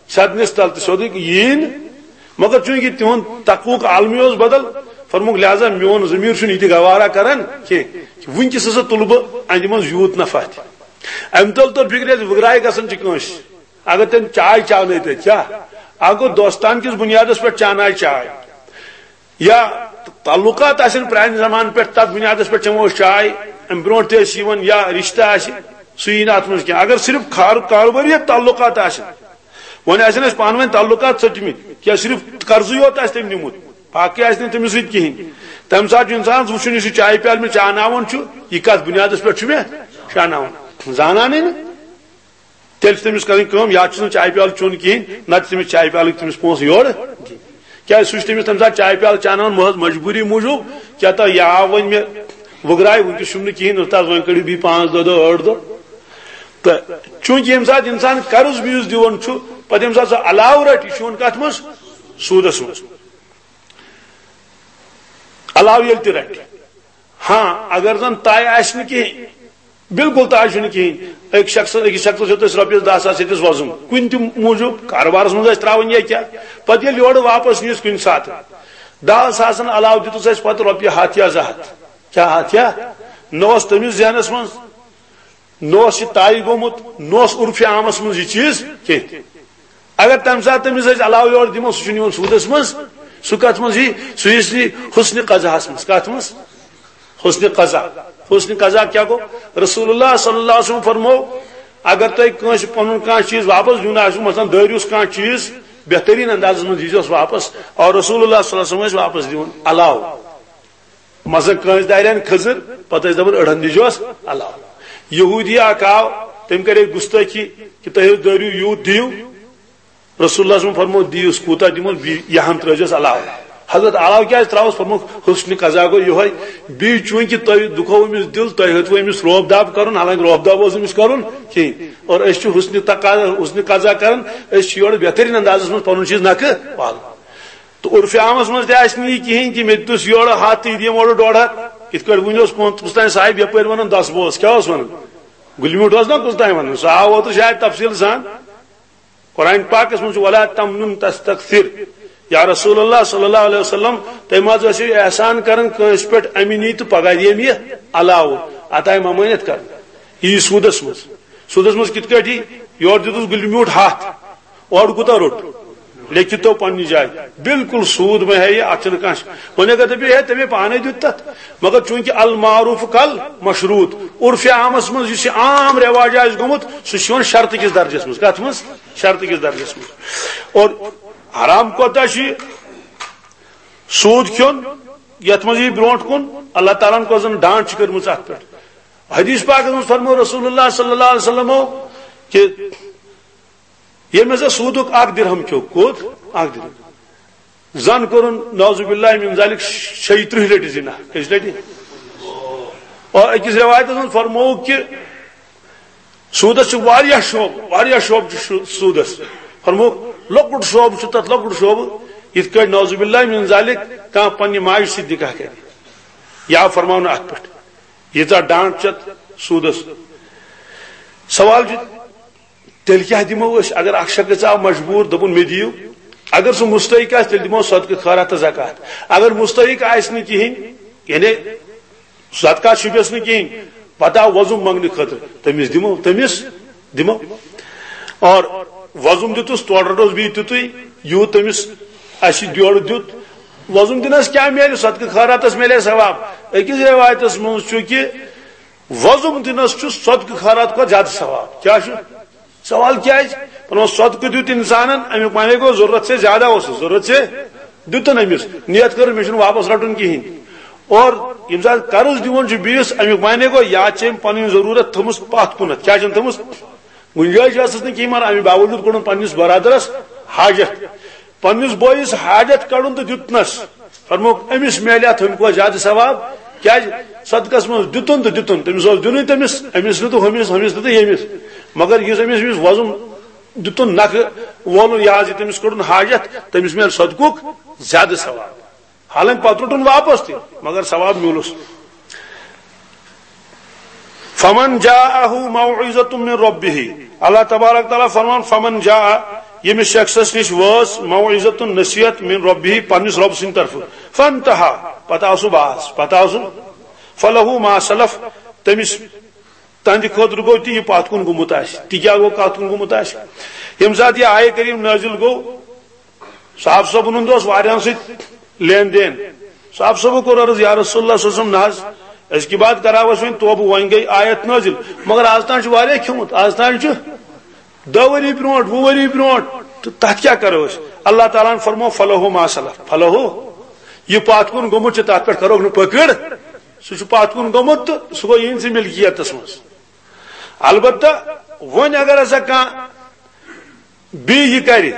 سدنِس تل تہٕ سیوٚدُے یِیہِ نہٕ۔ مگر چوٗنٛکہِ تِہُنٛد تقوُک عالمی اوس بدل، فرمووُکھ، لہذا میون ضمیٖر چھُنہٕ یہِ تہِ گوارا کران کینٛہہ۔ وٕنکیٚس ہسا تُلہٕ بہٕ اَنہِ منٛز یوٗت نفع تہِ۔ اَمہِ تل توٚر فِکرِ، وٕگراے گژھان چھِ کٲنٛسہِ۔ اگر تٔمۍ چاے چاونٲے تَتہِ، کیٛاہ؟ اکھ گوٚو دوستان کِس بُنیادس پٮ۪ٹھ چاناے چاے، یا تعلقات آسن پرانہِ زمانہٕ پٮ۪ٹھ، تتھ بُنیادس پٮ۪ٹھ چٮ۪مو أسۍ چاے، امہِ برونٛٹھ تہِ ٲسۍ یِوان، یا رشتہٕ آسہِ، سُہ یی نہٕ اتھ منٛز کینٛہہ۔ اگر صرف خار-، کاربٲری تعلقات آسن، وۄنۍ آسن اَسہِ پانہٕ ؤنۍ تعلقات ژٔٹمٕتۍ، یا صرف قرضٕے یوت آسہِ تٔمۍ نیوٗمُت، باقٕے آسہِ نہٕ تٔمِس سۭتۍ کِہیٖنۍ، تمہِ ساتہٕ چھُ انسانس وٕچھُن، یُس یہِ چایہِ پیالہٕ مےٚ چاناوان چھُ، یہِ کتھ بُنیادس پٮ۪ٹھ چھُ مےٚ چاناوان؟ زانانٕے نہٕ۔ تیٚلہِ چھِ تٔمِس کَرٕنۍ کٲم، یا چھُس نہٕ چایہِ پیالہٕ چیوٚن کِہیٖنۍ، نَتہٕ چھِ تٔمِس چایہِ پیالٕکۍ تٔمِس پونٛسہٕ یورٕ دِنۍ۔ کیٛازِ سُہ چھُ تٔمِس تَمہِ ساتہٕ چایہِ پیالہٕ چاناوان محض مجبوٗری موٗجوٗب، کیٛاہ تہٕ یہِ آو وۄنۍ مےٚ وٕگراے، وٕنکیٚس چھُم نہٕ کِہیٖنۍ، اُستاد وۄنۍ کٔڑِو بیٚیہِ پانٛژھ دۄہ، دۄہ، ٲٹھ دۄہ۔ تہٕ چوٗنٛکہِ ییٚمہِ ساتہٕ اِنسان قرض بیٚیِس دِوان چھُ، پَتہٕ ییٚمہِ ساتہٕ سُہ علاوٕ رَٹہِ، یہِ چھُ یِوان کَتھ منٛز؟ سوٗدَس منٛز۔ علاوٕ ییٚلہِ تہِ رَٹہِ۔ ہاں، اگر زَن طے آسہِ نہٕ کِہیٖنۍ، بالکل تاج چھُنہٕ کِہیٖنۍ۔ أکۍ شخص، أکِس شخصس ہیوٚت اَسہِ رۄپیَس دَہ ساس ییٚتِس وۄزُم، کُنہِ تہِ موٗجوٗب کاربارس منٛز ٲسۍ ترٛاوان یا کیٛاہ۔ پتہٕ ییٚلہِ یورٕ واپس نِیَس کُنہِ ساتہٕ، دَہَن ساسَن علاوٕ دیُتُس اَسہِ پتہٕ رۄپیہِ ہَتھ یا زٕ ہَتھ۔ کیٛاہ ہَتھ یا؟ نہ اوس تٔمِس ذہنس منٛز، نہ اوس یہِ طے گوٚمُت، نہ اوس عرفِ عامس منٛز یہِ چیٖز کینٛہہ۔ اگر تمہِ ساتہٕ تٔمِس أسۍ علاوٕ یورٕ دِمو، سُہ چھُنہٕ یِوان سوٗدس منٛز، سُہ کتھ منٛز یی؟ سُہ یی حسن قضاہس منٛز۔ کتھ منٛز؟ حسن قضا۔ حسن قضا کیا گوٚو؟ رسول اللہ صلی اللہ علیہ وسلم فرمو، اگر تۄہہِ کٲنٛسہِ پنُن کانٛہہ چیٖز واپس دیُن آسہِ، مثلاً دٲرِوس کانٛہہ چیٖز، بہترین اندازس منٛز دیٖزیوس واپس، اور رسول اللہ صلی اللہ علیہ وسلم ٲسۍ واپس دِوان علاوٕ۔ مثلاً کٲنٛسہِ دارٮ۪ن کھٔزٕر، پتہٕ ٲسۍ دپان أڑہن دیٖزیوس علاوٕ۔ یہوٗدی اکھ آو، تٔمۍ کرے گُستٲخی کہ تُہۍ حظ دٲرِو یوٗت دِیِو۔ رسول اللہ صلی اللہ علیہ وسلم فرمو، دِیوس کوٗتاہ دِمو، بیٚیہِ یہِ ہن ترٲوزٮ۪س علاوٕ۔ حضرت علاوٕ کیٛازِ ترٛاوس؟ فرمو، حسن قضا گوٚو یِہوٚے۔ بیٚیہِ چوٗنٛکہِ تۄہہِ دُکھوو أمِس دِل، تۄہہِ ہیوٚتوٕ أمِس رعب داب کرُن، حالانکہ رعب داب اوس أمِس کرُن کِہیٖنۍ۔ اور أسۍ چھِ حسن تقاضا، حسن قضا کران، أسۍ چھِ یورٕ بہتریٖن اندازس منٛز پنُن چیٖز نکھٕ والان۔ تہٕ عرفِ عامس منٛز تہِ آسہِ نہٕ یہِ کِہیٖنۍ کہِ مےٚ دیُتُس یورٕ ہتھ تہٕ یہِ دِیِم اورٕ ڈۄڈ ہتھ۔ یِتھ کٲٹھۍ وُنہِ اوس کُنہِ، کُس تام صاحب یپٲرۍ ونان دس بوس، کیٛاہ اوس ونان؟ گُلہِ میوٗٹھ اوس نا کُس تام ونان، سُہ آو اوترٕ شاید تفصیٖل سان۔ قرآن پاکس منٛز چھُ، "ولا تمنن تستکثر"، یا رسول اللہ صلی اللہ علیہ وسلم، تُہۍ ما حظ ٲسِو احسان کران کٲنٛسہِ پٮ۪ٹھ، اَمہِ نی تہٕ پگاہ دِیَم یہِ علاوٕ، اَتھ آیہِ ممٲنِیت کرنہٕ۔ یہِ یی سوٗدس منٛز۔ سوٗدس منٛز کِتھ کٲٹھۍ یی؟ یورٕ دیُتُس گُلہِ میوٗٹھ ہتھ، اورٕ کوٗتاہ روٚٹ؟ لیکھِتھ تو پننہِ جایہِ، بالکل سوٗد مہ ہیٚیہِ، اتھ چھنہٕ کانٛہہ۔ وۄنۍ اگر دٔپِو، ہے، تٔمۍ پانے دیُت تتھ، مگر چوٗنٛکہِ المعروف کل مشروط، عرفِ عامس منٛز یُس یہِ عام رٮ۪واج آسہِ گوٚمُت، سُہ چھُ یِوان شرطہٕ کِس درجس منٛز۔ کتھ منٛز؟ شرطہٕ کِس درجس منٛز۔ اور حرام کوتاہ چھُ یہِ؟ سوٗد کھیوٚن، یتھ منٛز یہِ برونٛٹھ کُن اللہ تعالیٰ ہن کۄس زن ڈانٹ چھِ کٔرمٕژ اتھ پٮ۪ٹھ۔ حدیث پاکس منٛز فرموو رسول اللہ صلی اللہ علیہ وسلمو کہ ییٚمۍ ہسا سوٗدُک اکھ درہم کھیوٚو، کوٚت؟ اکھ درہم۔ زن کوٚرُن نعوذ باللہ من ذالک شیٚیہِ ترٕٛہ لٹہِ زنا۔ کٔژِ لٹہِ؟ اور أکِس رٮ۪وایتس منٛز فرمووُکھ کہِ سوٗدس چھِ واریاہ شعبہٕ، واریاہ شعبہٕ چھِ شو-، سوٗدس۔ فرمووُکھ، لۄکُٹ شعبہٕ چھُ تتھ، لۄکُٹ شعبہٕ، یِتھ کٲٹھۍ نعوذ باللہ من ذالک کانٛہہ پننہِ ماجہِ سۭتۍ نکاح کرِ۔ یا فرماونہٕ اتھ پٮ۪ٹھ، ییٖژاہ ڈانٹ چھِ اتھ سوٗدس۔ سوال چھُ، تیٚلہِ کیٛاہ دِمو أسۍ؟ اگر اکھ شخص آو مجبوٗر، دوٚپُن، "مےٚ دِیِو"، اگر سُہ مستحق آسہِ، تیٚلہِ دِمو صدقہٕ، خٲرات تہٕ زکوٰۃ۔ اگر مستحق آسہِ نہٕ کِہیٖنۍ، یعنی صدقس چھُپٮ۪س نہٕ کِہیٖنۍ، پتہٕ آو وۄزُم منٛگنہٕ خٲطرٕ، تٔمِس دِمو، تٔمِس دِمو۔ اور وۄزُم دیُتُس، تورٕ رٹوس بیٚیہِ تیُتُے، یوٗت تٔمِس اَسہِ یورٕ دیُت۔ وۄزُم دِنس کیٛاہ میلہِ؟ صدقہٕ خٲراتس میلہِ ثواب۔ أکِس رٮ۪وایتس منٛز چھُ کہِ وۄزُم دِنس چھُ صدقہٕ خٲرات کھۄتہٕ زیادٕ ثواب۔ کیٛاہ چھُ؟ سوال کیٛازِ؟ پنُن صدقہٕ دیُت انسانن، امیُک معنی گوٚو ضروٗرت سے زیادٕ اوسُس، ضروٗرت سے دیُتُن أمِس، نیت کٔر مےٚ چھُنہٕ واپس رٹُن کِہیٖنۍ۔ اور ییٚمہِ ساتہٕ قرض دِوان چھُ بیٚیِس، امیُک معنی گوٚو یا چھِ أمۍ پنٕنۍ ضروٗرت تھٲومٕژ پتھ کُنتھ۔ کیٛاہ چھَن تھٲومٕژ؟ گُنجٲیِش ٲسٕس نہٕ کِہیٖنۍ، مگر اَمہِ باوجوٗد کوٚڑُن پننِس برادرس حاجت، پننِس بٲیِس حاجت کڑُن تہٕ دیُتنس۔ فرمووُکھ، أمِس میلہِ اَتھ ہُمہِ کھۄتہٕ زیادٕ ثواب۔ کیٛازِ؟ صدقس منٛز دیُتُن تہٕ دیُتُن، تٔمِس اوس دیُنُے تٔمِس، أمِس نہٕ تہٕ ہُمِس، ہُمِس نہٕ تہٕ ییٚمِس۔ مگر یُس أمِس، أمِس وۄزُم دیُتُن نکھٕ وولُن، یہِ حظ یہِ تٔمِس کوٚڑُن حاجت، تٔمِس میلہِ صدقُک زیادٕ ثواب۔ حالانکہ پتہٕ روٚٹُن واپس تہِ، مگر ثواب میوٗلُس۔ فمن جاءه موعظة من ربه، اللہ تبارک تعالیٰ فرمان، فمن جاء، ییٚمِس شخصس نِش وٲژ موعظة، نصیحت، من ربه، پننِس رۄب سٕنٛدِ طرفہٕ، فانتهى، پتہٕ آو سُہ باز، پتہٕ آو سُہ، فله ما سلف، تٔمِس، تہنٛدِ خٲطرٕ گوٚو تہِ یہِ پتھ کُن گوٚمُت آسہِ۔ تہِ کیٛاہ گوٚو، کتھ کُن گوٚمُت آسہِ؟ ییٚمہِ ساتہٕ یہِ آیہِ کریم نٲزِل گوٚو، صاحب صٲبُن ہُنٛد اوس واریاہن سۭتۍ لین دین۔ صاحب صٲبو کوٚر عرض، یا رسول اللہ صلی اللہ علیہ وسلم، نہ حظ، أزکہِ بعد کراو أسۍ وۄنۍ توبہٕ، وۄنۍ گٔے آیت نٲزِل، مگر از تام چھُ واریاہ کھیوٚمُت، از تام چھُ دہ ؤری برونٛٹھ، وُہ ؤری برونٛٹھ، تہٕ تتھ کیٛاہ کرو أسۍ؟ اللہ تعالیٰ ہن فرموو، فلہ ما سلف، فلہ، یہِ پتھ کُن گوٚمُت چھُ، تتھ پٮ۪ٹھ کرو نہٕ پکڑ، سُہ چھُ پتھ کُن گوٚمُت تہٕ سُہ گوٚو یِہنٛدسٕے ملکیتس منٛز۔ البتہ وۄنۍ اگر ہسا کانٛہہ بیٚیہِ یہِ کرِ،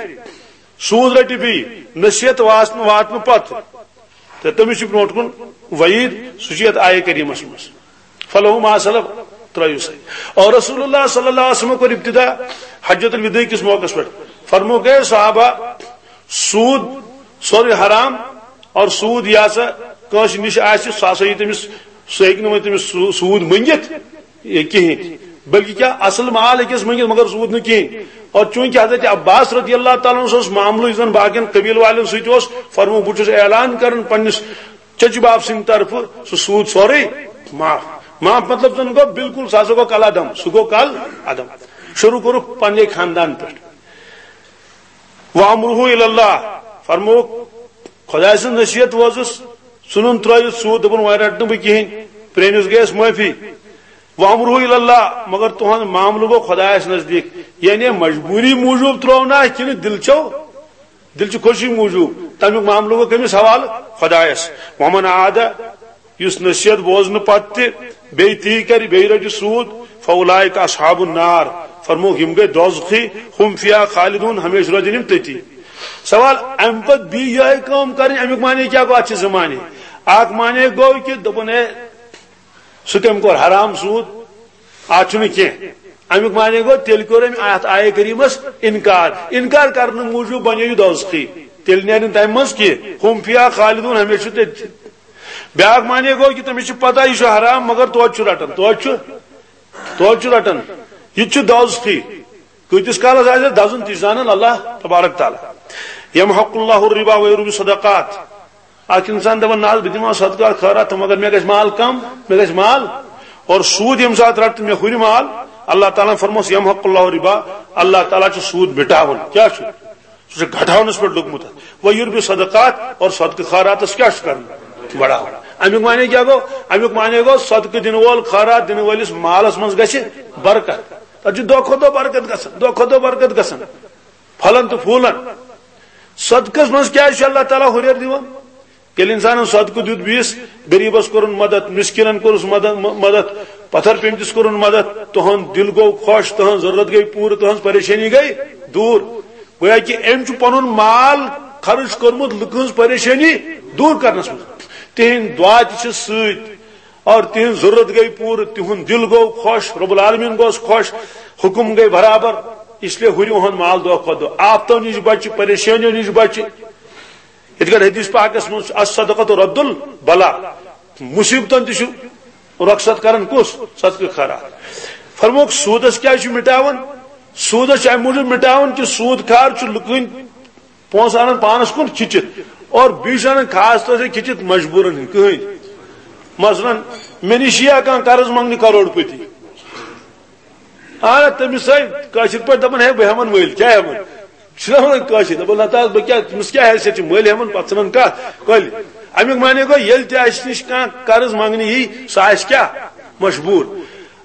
سوٗد رٹہِ بیٚیہِ، نصیحت واتنہٕ، واتنہٕ پتہٕ، تہٕ تٔمِس چھُ برونٛٹھ کُن وعیٖد، سُہ چھُ یتھ آیہِ کریٖمس منٛز، فلہ ما سلف، ترٲیِو سا۔ اور رسول اللہ صلی اللہ علیہ وسلم کوٚر ابتدا حجۃ الوداع کِس موقعس پٮ۪ٹھ، فرموو، "اے صحابہ، سوٗد سورُے حرام، اور سوٗد یہِ ہسا کٲنٛسہِ نِش آسہِ، سُہ ہسا یی تٔمِس، سُہ ہیٚکہِ نہٕ وۄنۍ تٔمِس سوٗ-، سوٗد مٔنگِتھ، یہِ کِہیٖنۍ، بلکہِ کیٛاہ، اصل مال ہیٚکٮ۪س مٔنگِتھ مگر سوٗد نہٕ کِہیٖنۍ۔" اور چوٗنٛکہِ حضرت عباس رضی اللہ تعالیٰ عنہ اوس معاملہٕ یُس زن باقین قبیٖل والٮ۪ن سۭتۍ اوس، فرموو، بہٕ چھُس اعلان کران پننِس چچہِ بب سٕنٛدِ طرفہٕ، سُہ سوٗد سورُے معاف۔ معاف مطلب زن گوٚو بالکل، سُہ ہسا گوٚو کل عدم، سُہ گوٚو کل عدم۔ شروع کوٚرُکھ پننے خاندان پٮ۪ٹھ۔ وامرہ الی اللہ، فرمووُکھ، خۄداے سٕنٛز نصیحت بوزُس، ژھُنُن ترٲوِتھ سوٗد، دوٚپُن، "وۄنۍ رٹہٕ نہٕ بہٕ کِہیٖنۍ، پرٛٲنِس گٔیَس معٲفی۔" وَأَمْرُهُ إِلَى اللَّهِ، مگر تُہُنٛد معاملہٕ گوٚو خۄدایَس نزدیٖک، یعنی مجبوٗری موٗجوٗب ترٛوو نا کِنہٕ دِل چھو، دِل چھِ خوشی موٗجوٗب، تَمیُک معاملہٕ گوٚو کٔمِس حوالہٕ؟ خۄدایَس۔ وَمَنْ عَادَ، یُس نصیحت بوزنہٕ پتہٕ تہِ بیٚیہِ تی کرِ، بیٚیہِ رٹہِ سوٗد، فَأُولَٰئِكَ أَصْحَابُ النَّارِ، فرمووُکھ، یِم گٔے دوزخی، هُمْ فِيهَا خَالِدُونَ، ہمیشہِ روزن یِم تٔتی۔ سوال، اَمہِ پتہٕ بیٚیہِ یِہوٚے کٲم کرٕنۍ، اَمیُک معنی کیٛاہ گوٚو؟ اَتھ چھِ زٕ معنی۔ اکھ معنی گوٚو کہِ دوٚپُن، ہے، سُہ کٔمۍ کوٚر حرام سوٗد؟ اتھ چھُنہٕ کینٛہہ۔ امیُک معنی گوٚو، تیٚلہِ کوٚر أمۍ اتھ آیہِ کریٖمس انکار۔ انکار کرنہٕ موٗجوٗب بنیو یہِ دوزخی۔ تیٚلہِ نیرِ نہٕ تمہِ منٛز کینٛہہ۔ هم فیہا خالدون، ہمیشہِ چھُ تٔتھۍ۔ بیٛاکھ معنی گوٚو کہِ تٔمِس چھِ پتہ یہِ چھُ حرام، مگر توتہِ چھُ رٹان، توتہِ چھُ، توتہِ چھُ رٹان۔ یہِ تہِ چھُ دوزخی۔ کۭتِس کالس آسہِ دزُن، تہِ چھُ زانان اللہ تبارک تعالیٰ۔ یمحق اللہ الربا ویربی صدقات۔ اکھ انسان دپان، "نہ حظ، بہٕ دِمہٕ ہا صدقہٕ خٲرات تہٕ مگر مےٚ گژھِ مال کم، مےٚ گژھِ مال۔" اور سوٗد ییٚمہِ ساتہٕ رٹہٕ تہٕ مےٚ ہُرِ مال، اللہ تعالیٰ ہن فرموس، "یمحق اللہ الربا"، اللہ تعالیٰ چھُ سوٗد مٹاوان۔ کیٛاہ چھُ؟ سُہ چھُ گھٹاونس پٮ۪ٹھ لوٚگمُت۔ "ویربی صدقات"، اور صدقہٕ خٲراتس کیٛاہ چھُ کرُن؟ بڑاوُن۔ امیُک معنی کیٛاہ گوٚو؟ امیُک معنی گوٚو، صدقہٕ دِنہٕ وول، خٲرات دِنہٕ وٲلِس مالس منٛز گژھِ برکت۔ تتھ چھُ دۄہ کھۄتہٕ دۄہ برکت گژھان، دۄہ کھۄتہٕ دۄہ برکت گژھان۔ پھلن تہٕ پھوٗلن۔ صدقس منٛز کیٛازِ چھُ اللہ تعالیٰ ہُرٮ۪ر دِوان؟ ییٚلہِ انسانن صدقہٕ دیُت بیٚیِس غریٖبس، کوٚرُن مدد، مسکیٖنن کوٚرُس مدد، م-، مدد، پتھر پیمتِس کوٚرُن مدد، تُہُنٛد دِل گوٚو خۄش، تُہٕنٛز ضروٗرت گٔے پوٗرٕ، تُہٕنٛز پریشٲنی گٔے دوٗر۔ گویا کہِ أمۍ چھُ پنُن مال خرٕچ کوٚرمُت لُکہٕ ہٕنٛز پریشٲنی دوٗر کرنس منٛز۔ تِہنٛدۍ دعا تہِ چھِ سۭتۍ۔ اور تِہنٛز ضرورت گٔے پوٗرٕ، تِہُنٛد دِل گوٚو خۄش، رب العالمین گوٚوس خۄش، حُکُم گٔے برابر۔ اس لیے ہُرِ اُہُنٛد مال دۄہ کھۄتہٕ دۄہ، آفتو نِش بچہِ، پریشٲنیو نِش بچہِ۔ یِتھ کٔنۍ حدیث پاکس منٛز چھُ، "الصدقۃ رد البلا"، مصیبتن تہِ چھُ رۄخصت کران کُس؟ صدقہٕ خیرات۔ فرمووُکھ، سوٗدس کیٛازِ چھُ مٹاوان؟ سوٗدس چھُ امہِ موٗجوٗب مٹاوان کہِ سوٗد کھار چھُ لُکہٕ ہٕنٛدۍ پونٛسہٕ انان پانس کُن کھِچِتھ، اور بیٚیہِ چھُ انان خاص طور سے کھِچِتھ مجبوٗرن ہٕنٛدۍ۔ کٕہٕنۍ، مثلاً، مےٚ نِش یِیا کانٛہہ قرض منٛگنہِ کروڑ پتی، آ، تٔمِس سۭتۍ کٲشِر پٲٹھۍ دپان، "ہے، بہٕ ہٮ۪من مٔلۍ، کیٛاہ ہٮ۪من؟" چھُنہ ونان کٲشِر، دپان، "نتہٕ حظ، بہٕ کیٛاہ، تٔمِس کیٛاہ حیثیت چھِ، مٔلۍ ہٮ۪من، پتہٕ ژھٕنن کتھ کۄلہِ۔" امیُک معنی گوٚو، ییٚلہِ تہِ اسہِ نِش کانٛہہ قرض منٛگنہِ یی، سُہ آسہِ کیٛاہ؟ مجبوٗر۔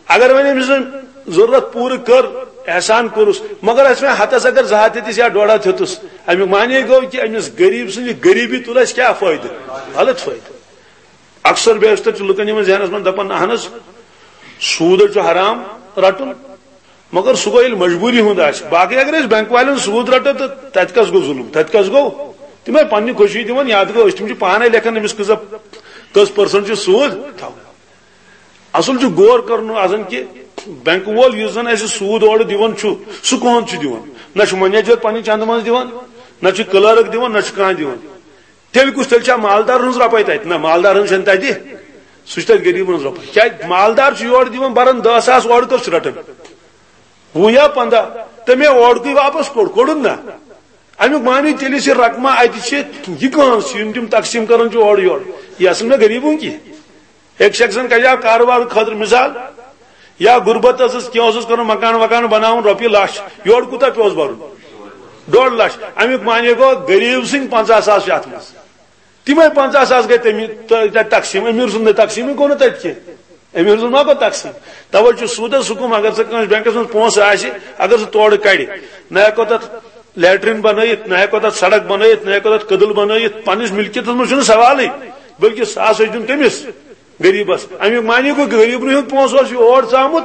اگر وۄنۍ أمۍ سٕنٛز ضروٗرت پوٗرٕ کٔر، احسان کوٚرُس، مگر اَسہِ وۄنۍ ہَتَس اگر زٕ ہَتھ ہیٚتِس یا ڈۄڈ ہَتھ ہیوٚتُس، اَمیُک معنی گوٚو کہِ أمِس غریٖب سٕنٛز یہِ غریٖبی تُل اَسہِ کیٛاہ فٲیدٕ؟ غلط فٲیدٕ۔ اکثر بیشتر چھُ لُکن یِمن ذہنس منٛز دَپان، "اہن حظ، سوٗد حظ چھُ حرام رَٹُن، مگر سُہ گوٚو ییٚلہِ مجبوٗری ہُنٛد آسہِ۔ باقٕے اگر أسۍ بینک والٮ۪ن سوٗد رَٹو تہٕ تَتہِ کَس گوٚو ظُلُم؟ تَتہِ کَس گوٚو؟ تِم ہے پننہِ خوشی دِوان، یَتھ گوٚو أسۍ، تِم چھِ پانے لیکھان أمِس کۭژاہ، کٔژ percent چھُ سوٗد تھاوُن۔" اصل چھُ غور کرُن آسان کہِ بینک وول یُس زن اسہِ سوٗد اورٕ دِوان چھُ، سُہ کٕہنٛد چھُ دِوان؟ نہ چھُ منیجر پننہِ چندٕ منٛز دِوان، نہ چھُ کلرک دِوان، نہ چھُ کانٛہہ دِوان۔ تیٚلہِ کُس، تیٚلہِ چھا مالدار ہٕنٛز رۄپے تتہِ؟ نہ، مالدار ہٕنٛز چھنہٕ تتہِ، سُہ چھُ تتہِ غریٖبن ہٕنٛز رۄپے۔ کیٛازِ؟ مالدار چھُ یورٕ دِوان بران دہ ساس، اورٕ کٔژ چھُ رٹان؟ وُہ یا پنٛداہ، تہٕ مےٚ اورکُے واپس کوٚڑ، کوٚڑُن نہ؟ امیُک معنی تیٚلہِ یُس یہِ رقمہ اتہِ چھِ، یہِ کٕہنٛز چھِ، یِم تِم تقسیٖم کران چھِ اورٕ یورٕ، یہِ اصل مےٚ غریٖبن کینٛہہ۔ أکۍ شخصن کریاو کارٕبار خٲطرٕ مثال، یا غربتس ٲس کینٛہہ، اوسُس کرُن مکان وکان بناوُن، رۄپیہِ لچھ، یورٕ کوٗتاہ پیوس برُن؟ ڈۄڈ لچھ۔ امیُک معنی گوٚو، غریٖب سٕنٛدۍ پنٛژاہ ساس چھِ اتھ منٛز۔ تِمے پنٛژاہ ساس گٔے تٔمی، تہٕ تَتہِ تقسیٖم، أمیٖر سُنٛد نہٕ تقسیٖمٕے گوٚو نہٕ تَتہِ کینٛہہ۔ أمیٖر سُنٛد ما گوٚو تقسیٖم؟ توے چھُ سوٗدس حُکُم، اگر ژےٚ کٲنٛسہِ بینکس منٛز پونٛسہٕ آسہِ، اگر سُہ تورٕ کڑِ، نہ ہٮ۪کو تتھ لیٹرین بنٲیِتھ، نہ ہٮ۪کو تتھ سڑک بنٲیِتھ، نہ ہٮ۪کو تتھ کدل بنٲیِتھ، پننِس ملکیتس منٛز چھُنہٕ سوالٕے، بلکہِ سُہ ہسا چھُ دیُن کٔمِس؟ غریٖبس۔ امیُک معنی گوٚو، غریٖبنٕے ہُنٛد پونٛسہٕ اوس یہِ اور ژامُت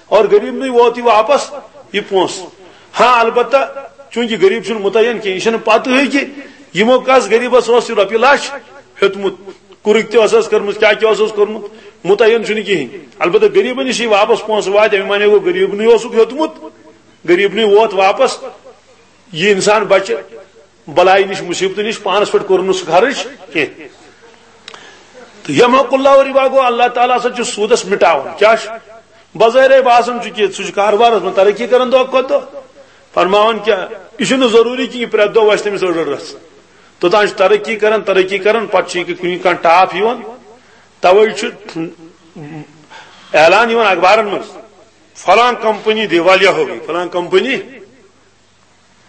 اور غریٖبنٕے ووت یہِ واپس، یہِ پونٛسہٕ۔ ہاں، البتہ چوٗنٛکہِ غریٖب چھُنہٕ مُتعین کینٛہہ، یہِ چھَنہٕ پتہٕے کہِ یِمو کس غریٖبس اوس یہِ رۄپیہِ لچھ ہیوٚتمُت، کُرُکۍ تہِ ٲسٕس کٔرمٕژ، کیٛاہ کیٛاہ اوسُس کوٚرمُت، مُتعین چھُنہٕ کِہیٖنۍ۔ البتہ غریٖبن نِش یہِ واپس پونٛسہٕ واتہِ، اَمہِ معنی گوٚو، غریٖبنٕے اوسُکھ ہیوٚتمُت، غریٖبنٕے ووت واپس۔ یہِ انسان بچہِ بلایہِ نِش، مصیبتہٕ نِش، پانس پٮ۪ٹھ کوٚرُن نہٕ سُہ خرٕچ کینٛہہ۔ تہٕ یمحق اللہ الربا گوٚو، اللہ تعالیٰ ہسا چھُ سوٗدس مٹاوان۔ کیٛاہ چھُ؟ بظٲہرے باسان چھُ کہِ سُہ چھُ کاربارس منٛز ترقی کران دۄہ کھۄتہٕ دۄہ۔ فرماوان کیٛاہ؟ یہِ چھُنہٕ ضروٗری کہِ یہِ پرٛٮ۪تھ دۄہ وَسہِ تٔمِس أڑ أڑ رژھ۔ توٚتام چھُ ترقی کران، ترقی کران، پتہٕ چھُ یہِ کُنہِ کانٛہہ ٹاپ یِوان۔ توے چھُ اعلان یِوان اخبارن منٛز، "فلاں کمپنی دیوالیہ ہو گئی، فلاں کمپنی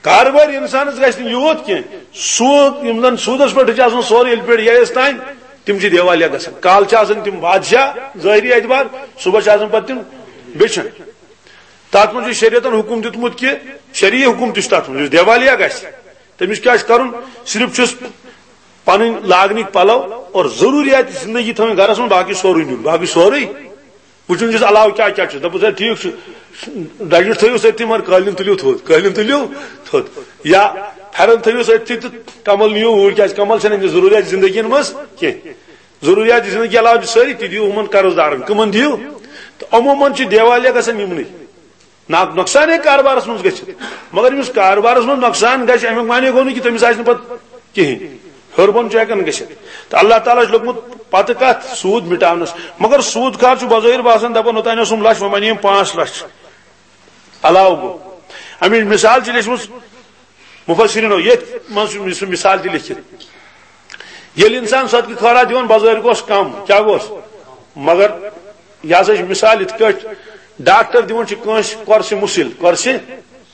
کارباری انسانس گژھِ نہٕ یوٗت کینٛہہ۔ سود، یِم زن سودس پٮ۪ٹھ چھِ آسان سورُے ییٚلہِ پٮ۪ٹھ ییٚلہِ تام، تِم چھِ دیوالیہ گژھان۔ کالہٕ چھِ آسان تِم بادشاہ ظٲہری اعتبار، صبحس چھِ آسان پتہٕ تِم بیچھان۔ تتھ منٛز چھُ شریعتن حکم دیُتمُت کہِ شرعی حکم تہِ چھُ تتھ منٛز، یُس دیوالیہ گژھِ، تٔمِس کیٛاہ چھُ کرُن؟ صرف چھُس پنٕنۍ لاگنٕکۍ پلو اور ضروٗریات زندگی تھاوٕنۍ گرس منٛز، باقٕے سورُے نیُن، باقٕے سورُے وٕچھُن چھُس علاوٕ کیٛاہ کیٛاہ چھُس۔ دَپُس، ہے، ٹھیٖک چھُ، ڈَجِٹ تھٲیِو سٲرتھٕے، مگر قٲلیٖن تُلِو تھوٚد، قٲلیٖن تُلِو تھوٚد، یا پھٮ۪رن تھٲیِو سٲرتھٕے تہٕ کمل نِیِو اوٗرۍ، کیٛازِ کمل چھَنہٕ أمِس ضروٗریات زندگی منٛز کینٛہہ۔ ضروٗریات زندگی علاوٕ چھِ سٲری، تہِ دِیِو یِمن قرض دارن۔ کٕمن دِیِو؟ تہٕ یِمو منٛز چھِ دیوالیہ گژھان یِمنٕے۔ نا-، نۄقصان ہیٚکہِ کاربارس منٛز گٔژھِتھ، مگر ییٚمِس کاربارس منٛز نۄقصان گژھِ، اَمیُک معنی گوٚو نہٕ کہِ تٔمِس آسہِ نہٕ پتہٕ کِہینۍ، ہیوٚر بۄن چھُ ہٮ۪کان گٔژھِتھ۔ تہٕ اللہ تعالیٰ چھُ لوٚگمُت پتہٕ کتھ؟ سوٗد مٹاونس۔ مگر سوٗد کھار چھُ بظٲہر باسان، دپان، اوٚتانۍ اوسُم لچھ، وۄنۍ بنییم پانٛژھ لچھ، علاوٕ گوٚو۔ اَمِچ مثال چھِ لیچھمٕژ مفسرینو، ییٚتھۍ منٛز چھُ سُہ مثال تہِ لیکھِتھ۔ ییٚلہِ انسان صدقہٕ خٲرات دِوان، بظٲہر گوٚژھ کم، کیٛاہ گوٚژھ؟ مگر یہِ ہسا چھِ مثال یِتھ کٲٹھۍ ڈاکٹر دِوان چھِ کٲنٛسہِ قرصہِ مُسِل، قرصہِ،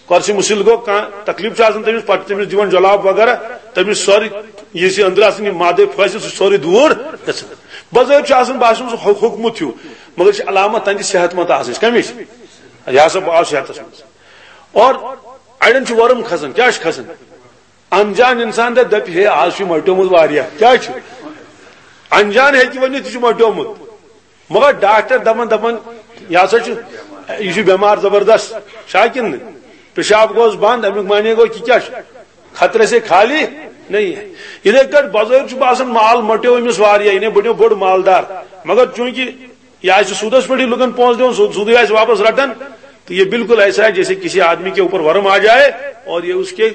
قرصہِ مُسِل گوٚو کانٛہہ تکلیٖف چھُ آسان تٔمِس، پتہٕ چھِ تٔمِس دِوان جلاب وغیرہ، تٔمِس سورُے یُس یہِ أنٛدرٕ آسان یہِ مادے پھٲسِتھ، سُہ چھُ سورُے دوٗر گژھان۔ بظٲہر چھُ آسان باسان سُہ ہو-، ہوٚکھمُت ہیوٗ، مگر یہِ چھِ علامت تہنٛدِ صحت مند آسنٕچ۔ کمِچ؟ یہِ ہسا بہٕ آس صحتس منٛز۔ اور اڑٮ۪ن چھُ ورم کھسان، کیٛاہ چھُ کھسان؟ انجان انسان دپہِ، دپہِ، ہے، آز چھُ مۄٹیومُت واریاہ۔ کیٛاہ چھُ؟ انجان ہیٚکہِ ؤنِتھ، یہِ چھُ مۄٹیومُت۔ مگر ڈاکٹر دپان، دپان، یہِ ہسا چھُ، یہِ چھُ بٮ۪مار زبردست۔ چھا کِنہٕ نہٕ؟ پیشاب گوس بنٛد، اَمیُک معنی گوٚو کہِ کیٛاہ چھُ؟ خطرے سے خالی نہیں ہے۔ یِتھَے کٲٹھۍ بظٲہر چھُ باسان مال مۄٹیو أمِس واریاہ، یعنی بنیو بوٚڑ مالدار۔ مگر چوٗنٛکہِ یہ آسہِ سودس پٮ۪ٹھ لُکن پونٛسہٕ دِوان، سود، سودٕے آسہِ واپس رٹان، تو یہ بالکل ایسا ہے جیسے کسی آدمی کے اوپر ورم آ جائے اور یہ اس کے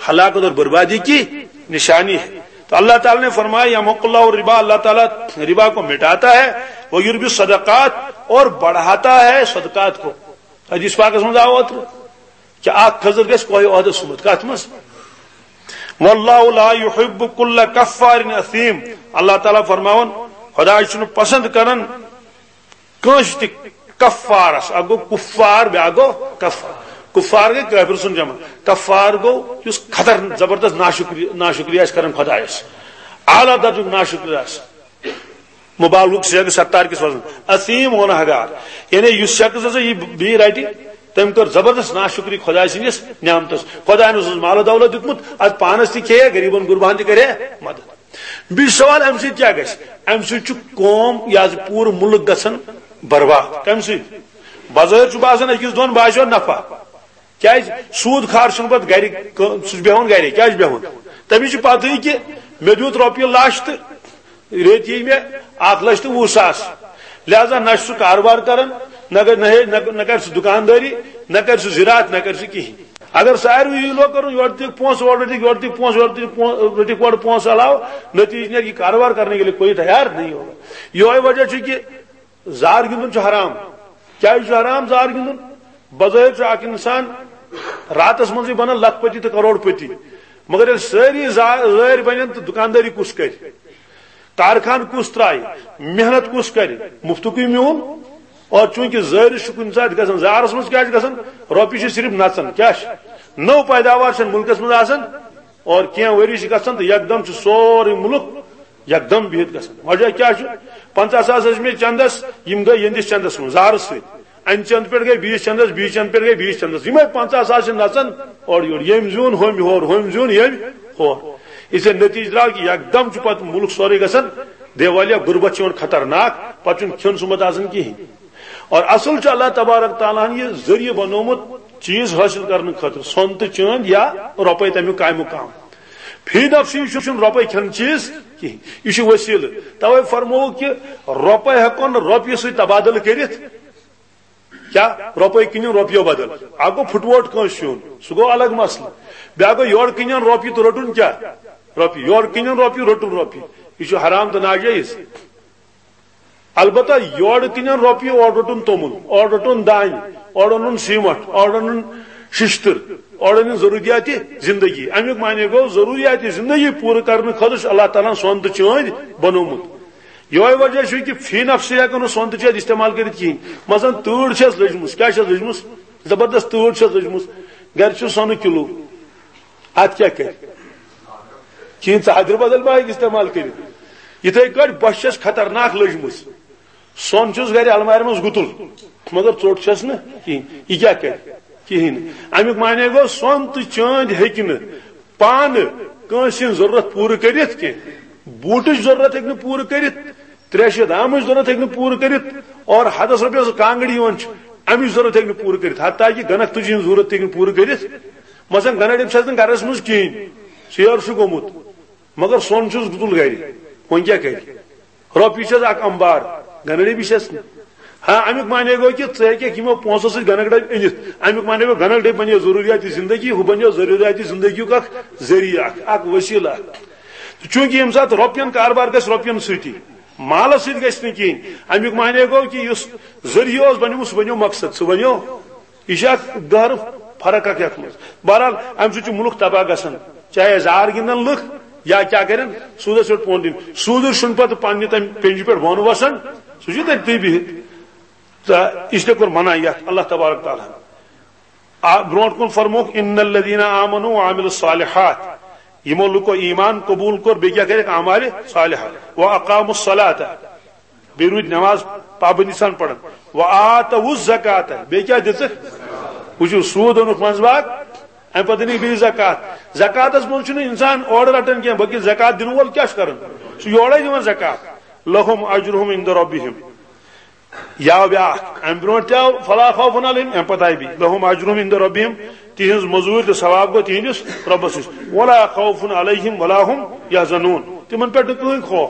ہلاکت اور بربادی کی نشانی ہے۔ تو اللہ تعالیٰ نے فرمایا، یمحق اللہ الربا، اللہ تعالیٰ ربا کو مٹاتا ہے، ویربی الصدقات، اور بڑھاتا ہے صدقات کو۔ حدیث پاکس منٛز آو اوترٕ، کہِ اکھ کھٔزٕر گژھِ کوہہِ احدس سُمبتھ۔ کتھ منٛز؟ واللہ لا یحب کل کفار اثیم، اللہ تعالیٰ فرماوان، خدا چھُنہٕ پسند کران کٲنٛسہِ تہِ کفارس۔ اکھ گوٚو کفار، بیٛاکھ گوٚو کفار۔ کفار گٔے کٲفر سُنٛد جمع۔ کفار گوٚو یُس خطر زبردست ناشکری، ناشکری آسہِ کران خدایس، اعلیٰ درجُک ناشکر آسہِ۔ مبالغُک صیغہٕ ستار کِس وزنس۔ اثیم، گۄناہ گار۔ یعنی یُس شخص ہسا یہِ بیٚیہِ رٹہِ، تٔمۍ کٔر زبردست ناشکری خداے سٕنٛدِس نعمتس۔ خداین اوسُس مال و دولت دیُتمُت، اتھ پانس تہِ کھیٚیہِ، غریبن غرباہن تہِ کرِ مدد۔ بیٚیہِ چھُ سوال، امہِ سۭتۍ کیٛاہ گژھِ؟ امہِ سۭتۍ چھُ قوم، یہِ حظ پوٗرٕ مُلک گژھان برباد۔ کمہِ سۭتۍ؟ بظٲہر چھُ باسان أکِس دۄن باسیو نفع۔ کیٛازِ؟ سوٗد خار چھُنہٕ پتہٕ گرِ، سُہ چھُ بیٚہوان گرے۔ کیٛازِ چھُ بیٚہوان؟ تٔمِس چھِ پتہٕے کہِ مےٚ دیُت رۄپیہِ لچھ تہٕ ریٚتۍ یی مےٚ اکھ لچھ تہٕ وُہ ساس۔ لہذا نہ چھُ سُہ کاربار کران، نہ گژھِ، نہ ہے-، نہ، نہ کرِ سُہ دُکاندٲری، نہ کرِ سُہ زِراعت، نہ کرِ سُہ کِہینۍ۔ اگر ساروٕے یی لوگ کرُن، یورٕ دِکھ پونٛسہٕ، اورٕ رٔٹِکھ، یورٕ دِکھ پونٛسہٕ، اورٕ دِکھ پونٛسہٕ، رٔٹِکھ اورٕ پونٛسہٕ علاوٕ، نتیٖجہٕ نیرِ یہِ کاربار کرنے کے لیے کوئی تیار نہیں ہوگا۔ یہوے وجہ چھُ کہِ زار گِنٛدُن چھُ حرام۔ کیٛازِ چھُ حرام زار گِنٛدُن؟ بظٲہر چھُ اکھ انسان راتس منٛزٕے بنان لکھ پتی تہٕ کروڑ پتی، مگر ییٚلہِ سٲری زا-، زٲرۍ بنن تہٕ دُکاندٲری کُس کرِ؟ کارخان کُس ترایہِ؟ محنت کُس کرِ؟ مفتُکٕے میون۔ اور چوٗنٛکہِ زٲرِس چھُ کُنہِ ساتہٕ گژھان، زارس منٛز کیٛاہ چھُ گژھان؟ رۄپیہِ چھِ صرف نژان۔ کیٛاہ چھِ؟ نٔو پیداوار چھَنہٕ مُلکس منٛز آسان۔ اور کینٛہہ ؤری چھِ گژھان تہٕ یکدم چھُ سورُے مُلک یکدم بِہِتھ گژھان۔ وجہ کیٛاہ چھُ؟ پنٛژاہ ساس ٲسۍ مےٚ چندس، یِم گٔے یِہنٛدِس چندس منٛز زارٕ سۭتۍ۔ اَمہِ چندٕ پٮ۪ٹھ گٔے بیٚیِس چندس، بیٚیِس چندٕ پٮ۪ٹھ گٔے بیٚیِس چندس۔ یِمے پنٛژاہ ساس چھِ نژان اورٕ یورٕ۔ ییٚمۍ زیوٗن ہُمۍ ہور، ہُمۍ زیوٗن ییٚمۍ ہور۔ یِتھے نتیٖجہٕ درٛاو کہِ یکدم چھُ پتہٕ مُلک سورُے گژھان دیوالیہ، غربت چھِ یِوان خطرناک، پتہٕ چھُنہٕ کھیوٚن سُمبتھ آسان کِہینۍ۔ اور اصل چھُ اللہ تبارک تعالیٰ ہن یہِ ذٔریعہٕ بنوومُت چیٖز حٲصِل کرنہٕ خٲطرٕ، سۄن تہٕ چٲندۍ یا رۄپے تمیُک قائم مقام۔ فی نفسی چھُنہٕ رۄپے کھٮ۪ن چیٖز کِہینۍ، یہِ چھُ وسیلہٕ۔ توے فرمووُکھ کہِ رۄپے ہٮ۪کو نہٕ رۄپیہِ سۭتۍ تبادلہٕ کٔرِتھ۔ کیٛاہ؟ رۄپے کٕنِو رۄپیو بدل۔ اکھ گوٚو پھُٹووٹ کٲنٛسہِ ہیوٚن، سُہ گوٚو الگ مسلہٕ۔ بیٛاکھ گوٚو یورٕ کٕنِن رۄپیہِ تہٕ رٔٹُن کیٛاہ؟ رۄپیہِ۔ یورٕ کٕنِن رۄپیہِ، رٔٹُن رۄپیہِ۔ یہِ چھُ حرام تہٕ ناجٲیز۔ البتہ یورٕ کٕنن رۄپیہِ، اورٕ روٚٹُن توٚمُل، اورٕ روٚٹُن دانہِ، اورٕ اوٚنُن سیٖمٹ، اورٕ اوٚنُن ششتٕر، اورٕ أنِن ضروٗریاتِ زندگی۔ اَمیُک معنی گوٚو، ضروٗریاتِ زندگی پوٗرٕ کرنہٕ خٲطرٕ چھُ اللہ تعالیٰ ہن سۄن تہٕ چٲندۍ بنوومُت۔ یِہوٚے وجہ چھُ کہِ فی نفسہِ ہٮ۪کو نہٕ سۄن تہٕ چٲندۍ استعمال کٔرِتھ کِہینۍ۔ مثلاً تۭر چھَس لٔجمٕژ، کیٛاہ چھَس لٔجمٕژ؟ زبردست تۭر چھَس لٔجمٕژ، گرِ چھُ سۄنہٕ کِلوٗ، اتھ کیٛاہ کرِ؟ کِہیٖنۍ، ژٕ حدرِ بدل ما ہیٚکہِ استعمال کٔرِتھ۔ یِتھے کٲٹھۍ بۄچھِ چھَس خطرناک لٔجمٕژ۔ سۄن چھُس گرِ المارِ منٛز گُتُل، مگر ژوٚٹ چھَس نہٕ کِہیٖنۍ۔ یہِ کیٛاہ کرِ؟ کِہیٖنۍ نہٕ۔ اَمیُک معنی گوٚو، سۄن تہٕ چٲندۍ ہیٚکہِ نہٕ پانہٕ کٲنٛسہِ ہٕنٛز ضروٗرت پوٗرٕ کٔرِتھ کینٛہہ۔ بوٗٹٕچ ضروٗرت ہیٚکہِ نہٕ پوٗرٕ کٔرِتھ، ترٛیشہِ دامٕچ ضروٗرت ہیٚکہِ نہٕ پوٗرٕ کٔرِتھ، اور ہَتَس رۄپیَس کانٛگٕر یِوان چھِ، اَمِچ ضروٗرت ہیٚکہِ نہٕ پوٗرٕ کٔرِتھ۔ حتیٰ کہِ گنک تُجہِ ہٕنٛز ضروٗرت تہِ ہیٚکہِ نہٕ پوٗرٕ کٔرِتھ۔ مثلاً، گنک ڈٔبۍ چھِ آسان گرس منٛز کِہیٖنۍ، ژیر چھُ گوٚمُت، مگر سۄن چھُس گُتُل گرِ، وۄنۍ کیٛاہ کرِ؟ رۄپیہِ چھَس اکھ امبار، گنک ڈٔبۍ چھَس نہٕ۔ ہاں، اَمیُک معنی گوٚو کہِ ژٕ ہیٚککھ یِمو پونٛسو سۭتۍ گنک ڈٔبۍ أنِتھ۔ اَمیُک معنی گوٚو، گنک ڈٔبۍ بنے ضروٗریات زندگی، ہُہ بنے ضروٗریات زندگی یُک اکھ ذٔریعہٕ اکھ، اکھ وسیلہٕ اکھ۔ تہٕ چوٗنٛکہِ ییٚمہِ ساتہٕ رۄپین کاربار گژھِ رۄپین سۭتی، مالس سۭتۍ گژھِ نہٕ کِہیٖنۍ۔ اَمیُک معنی گوٚو کہِ یُس ذٔریعہٕ اوس بنیومُت، سُہ بنیو مقصد، سُہ بنیو، یہِ چھِ اکھ گہرٕ فرق اکھ یتھ منٛز۔ بہرحال، امہِ سۭتۍ چھُ مُلک تباہ گژھان، چاہے زار گِنٛدن لُکھ یا کیٛاہ کرن، سوٗدس پٮ۪ٹھ پونٛسہٕ دِنۍ۔ سوٗدُر چھُنہٕ پتہٕ پننہِ تمہِ پٮ۪نجہِ پٮ۪ٹھ بۄن وسان، سُہ چھُ تٔتھی بِہِتھ۔ تہٕ اس لیے کوٚر منع یتھ اللہ تبارک تعالیٰ ہن۔ آ، برونٛٹھ کُن فرمووُکھ، "ان الذین آمنوا وعملوا الصالحات"، یِمو لُکو ایمان قبول کوٚر، بیٚیہِ کیٛاہ کٔرِکھ؟ اعمال صالحہ۔ "واقاموا الصلاۃ"، بیٚیہِ روٗدۍ نماز پابندی سان پران۔ "وآتوا الزکاۃ"، بیٚیہِ کیٛاہ دِژٕکھ؟ وٕچھِو، سوٗد اوٚنُکھ منٛزٕ باگ، اَمہِ پتہٕ دِنٕکھ بیٚیہِ زکات۔ زکاتس منٛز چھُنہٕ انسان اورٕ رٹان کینٛہہ، بلکہِ زکات دِنہٕ وول کیٛاہ چھُ کران؟ سُہ یورے دِوان زکات۔ "لہم اجرہم عند ربہم"۔ یا بیاکھ، امہِ برونٛٹھ تہِ آو، "فلا خوف علیہم"، امہِ پتہٕ آیہِ بیٚیہِ، "لہم اجرہم عند ربہم"، تِہنٛز مٔزوٗرۍ تہٕ ثواب گوٚو تِہنٛدِس رۄبس نِش، "ولا خوف علیہم ولا ہم یحزنون"، تِمن پٮ۪ٹھ نہٕ کٕہٕنۍ خوف۔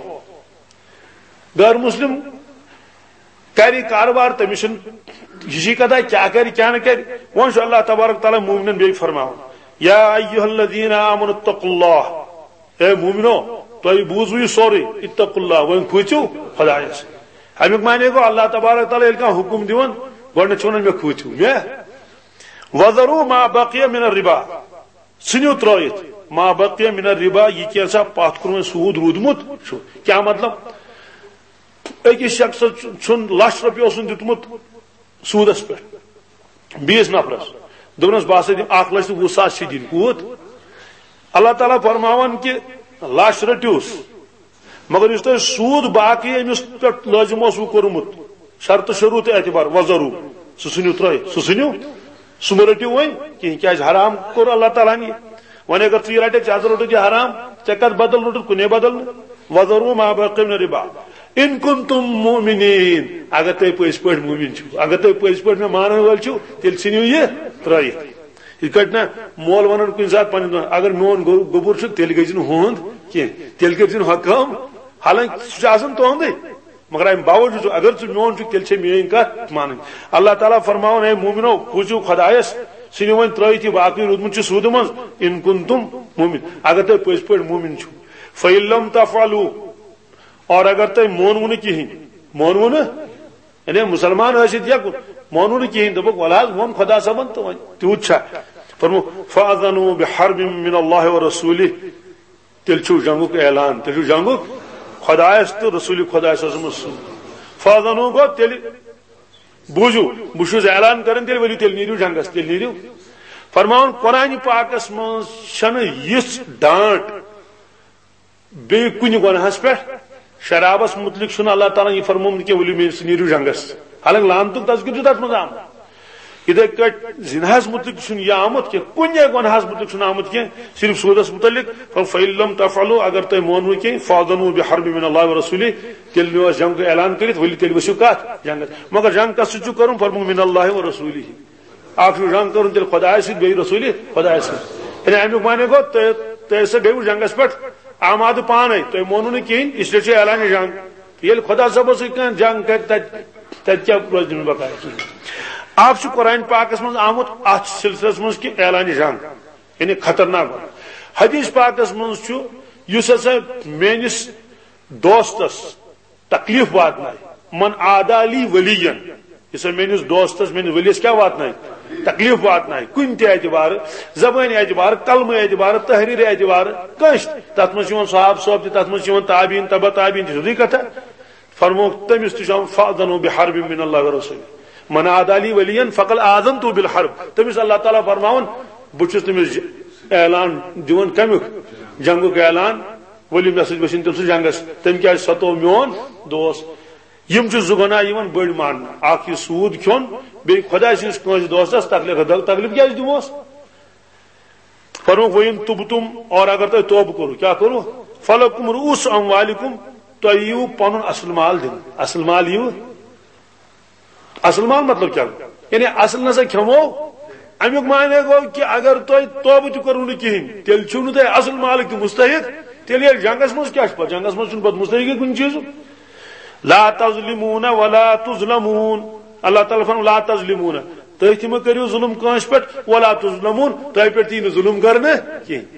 غٲر مسلم کرِ کارٕبار، تٔمِس چھُنہٕ ہِشی کتھا کیٛاہ کرِ کیٛاہ نہٕ کرِ۔ وۄنۍ چھُ اللہ تبارک تعالیٰ مومنن بیٚیہِ فرماوان، "یا ایھا الذین آمنوا اتقوا اللہ"، اے مومنو، تۄہہِ بوٗزوٕ یہِ سورُے، "اتقوا اللہ"، وۄنۍ کھوٗژِو خۄدایس۔ امیُک معنی گوٚو، اللہ تبارک تعالیٰ ییٚلہِ کانٛہہ حُکُم دِوان، گۄڈٕنیتھ چھُ ونان، "مےٚ کھوٗژِو، مےٚ"۔ "وذروا ما بقی من الربا"، ژھٕنِو ترٲوِتھ، "ما بقی من الربا"، یہِ کینٛژھا پتھ کُن وۄنۍ سوٗد روٗدمُت چھُ۔ کیٛاہ مطلب؟ أکِس شخصس چھُ-، چھُن لچھ رۄپیہِ اوسُن دیُتمُت سوٗدس پٮ۪ٹھ بیٚیِس نفرس، دوٚپنس، "بہٕ ہسا دِمہٕ اکھ لچھ تہٕ وُہ ساس چھِ دِنۍ"۔ کوٗت؟ اللہ تعالیٰ فرماوان کہِ لچھ رٔٹِوس، مگر یُس تۄہہِ سوٗد باقٕے أمِس پٮ۪ٹھ لٲزِم اوسوٕ کوٚرمُت، شرطہٕ شروٗط اعتبار، "وذروا"، سُہ ژھٕنِو ترٲوِتھ، سُہ ژھٕنِو، سُہ مہ رٔٹِو وۄنۍ کِہیٖنۍ، کیٛازِ حرام کوٚر اللہ تعالیٰ ہن یہِ۔ وۄنۍ اگر ژٕ یہِ رٹکھ، ژےٚ ہسا روٚٹُتھ یہِ حرام، ژےٚ کتھ بدل روٚٹُتھ؟ کُنے بدل نہٕ۔ "وذروا ما بقی من الربا ان کنتم مؤمنین"، اگر تُہۍ پٔزۍ پٲٹھۍ مومن چھِو، اگر تُہۍ پٔزۍ پٲٹھۍ مےٚ مانن وٲلۍ چھِو، تیٚلہِ ژھٕنِو یہِ ترٲوِتھ۔ یِتھ کٲٹھۍ نہ مول ونان کُنہِ ساتہٕ پننِس دۄن، "اگر میون گو-، گوٚبُر چھُ، تیٚلہِ گٔژھۍ زِ نہٕ ہُہُنٛد کینٛہہ، تیٚلہِ کٔرۍ زِ نہٕ ہۄ کٲم"، حالانکہِ سُہ چھُ آسان تُہُنٛدُے، مگر امہِ باوجوٗد چھُ، اگر ژٕ میون چھُکھ، تیٚلہِ چھے میٲنۍ کتھ مانٕنۍ۔ اللہ تعالیٰ فرماوان، "اے مومنو، کھوٗژِو خۄدایس، ژھٕنِو وۄنۍ ترٲوِتھ یہِ باقٕے روٗدمُت چھُ سوٗدٕ منٛز، ان کنتم مومن"، اگر تُہۍ پٔزۍ پٲٹھۍ مومن چھِو۔ "فَإِن لَمْ تَفْعَلُوا"، اور اگر تۄہہِ مونوٕ نہٕ کِہیٖنۍ، مونوٕ نہٕ، یعنی مسلمان ٲسِتھ یا کُ-، مونوٕ نہٕ کِہیٖنۍ، دوٚپُکھ، "وَلہٕ حظ، ووٚن خۄدا صٲبن تہٕ وۄنۍ تیوٗت چھا؟" فرموو، "فَأَذَنُوا بِحَرْبٍ مِّنَ اللَّهِ وَرَسُولِهِ"، تیٚلہِ چھُو جنگُک اعلان، تیٚلہِ چھُو جنگُک خۄدایس تہٕ رسوٗلِ خۄدایس سۭتۍ۔ فَأَذَنُوا گوٚو تیٚلہِ بوٗزِو، بہٕ چھُس اعلان کران، تیٚلہِ ؤلِو، تیٚلہِ نیٖرِو جنگس، تیٚلہِ نیٖرِو۔ فرماوُن، قرآنِ پاکس منٛز چھنہٕ یِژھ ڈانٹ بیٚیہِ کُنہِ گۄناہس پٮ۪ٹھ، شرابس متعلق چھُنہٕ اللہ تعالیٰ ہن یہِ فرمومُت کینٛہہ، ؤلِو مےٚ سۭتۍ نیٖرِو جنگس۔ حالانکہ لعنتُک تذکرٕ چھُ تتھ منٛز آمُت۔ یِتھے کٲٹھۍ زِناہس متعلق تہِ چھُنہٕ یہِ آمُت کینٛہہ، کُنے گۄناہس متعلق چھُنہٕ آمُت کینٛہہ، صرف سوٗدس متعلق۔ فرموو، "فَإِن لَمْ تَفْعَلُوا"، اگر تُہۍ مونوٕ کینٛہہ، "فَأَذَنُوا بِحَرْبٍ مِّنَ اللَّهِ وَرَسُولِهِ"، تیٚلہِ نِیو اَسہِ جنگُک اعلان کٔرِتھ، ؤلِو تیٚلہِ ؤسِو کتھ؟ جنگس۔ مگر جنگ کس سۭتۍ چھُو کرُن؟ فرموو، "مِّنَ اللَّهِ وَرَسُولِهِ"۔ اکھ چھُ جنگ کرُن تیٚلہِ خۄدایس سۭتۍ، بیٚیہِ رسوٗلِ خۄدایس سۭتۍ۔ یعنی امیُک معنی گوٚو، تُہۍ، تُہۍ ٲسِو بیٚیہِ جنگس پٮ۪ٹھ آمادٕ پانے، تُہۍ مونوٕ نہٕ کِہیٖنۍ، اس لیے چھُ اعلانِ جنگ۔ ییٚلہِ خۄدا صٲبس سۭتۍ کانٛہہ جنگ کرِ، تتہِ، تتہِ کیٛاہ روزِ تٔمِس بقایا؟ اکھ چھُ قرآن پاکس منٛز آمُت اتھ سلسلس منٛز کہِ اعلانِ جنگ، یعنی خطرناک۔ حدیث پاکس منٛز چھُ، یُس ہسا میٲنِس دوستس تکلیف واتنایہِ، "من عادی لی ولیا"، یُس ہسا میٲنِس دوستس، میٲنِس ؤلیس کیٛاہ واتنایہِ؟ تکلیف واتنایہِ، کُنہِ تہِ اعتبارٕ، زبٲنۍ اعتبارٕ، قلمہٕ اعتبارٕ، تحریٖرِ اعتبارٕ، کٲنٛسہِ تہِ۔ تتھ منٛز چھِ یِوان صحابہٕ صٲب تہِ، تتھ منٛز چھِ یِوان تابعین، تبع تابعین تہِ، سیوٚدُے کتھا۔ فرمووُکھ، تٔمِس تہِ چھُ آمُت، "فَأَذَنُوا بِحَرْبٍ مِّنَ اللَّهِ وَرَسُولِهِ۔ مَنْ عَادَى لِي وَلِيًّا فَقَدْ آذَنْتُهُ بِالْحَرْبِ۔" تٔمِس اللہ تعالیٰ فرماوان، بہٕ چھُس تٔمِس ج-، اعلان دِوان کمیُک؟ جنگُک اعلان۔ ؤلِو مےٚ سۭتۍ ؤسِن تٔمۍ سٕنٛز جنگس، تٔمۍ کیازِ ستوو میون دوست؟ یِم چھِ زٕ گۄناہ یِوان بٔڑۍ ماننہٕ، اکھ یہِ سوٗد کھیوٚن، بیٚیہِ خۄداے سٕنٛدِس کٲنٛسہِ دوستس تکلیف۔ تکلیف کیازِ دِموس؟ فرمووُکھ، "وَإِن تُبْتُمْ"، اور اگر تۄہہِ توبہٕ کوٚروٕ، کیٛاہ کوٚروٕ؟ "فَلَكُمْ رُءُوسُ أَمْوَالِكُمْ"، تۄہہِ یِیِو پنُن اصل مال دِنہٕ۔ اصل مال یِیِو؟ اصل مال مطلب کیٛاہ گوٚو؟ یعنی اصل نسا کھٮ۪مو۔ امیُک معنی گوٚو کہِ اگر تۄہہِ توبہٕ تہِ کوٚروٕ نہٕ کِہیٖنۍ، تیٚلہِ چھِو نہٕ تُہۍ اصل مالٕکۍ تہِ مستحق۔ تیٚلہِ ییٚلہِ جنگس منٛز کیٛاہ چھُ پتہٕ؟ جنگس منٛز چھُنہٕ پتہٕ مستحقٕے کُنہِ چیٖزُک۔ "لا تظلمون ولا تظلمون"۔ اللہ تعالیٰ فرماوُن، "لا تظلمون"، تُہۍ تہِ مہٕ کٔرِو ظُلُم کٲنٛسہِ پٮ۪ٹھ، "ولا تظلمون"، تۄہہِ پٮ۪ٹھ تہِ یی نہٕ ظُلُم کرنہٕ کینٛہہ۔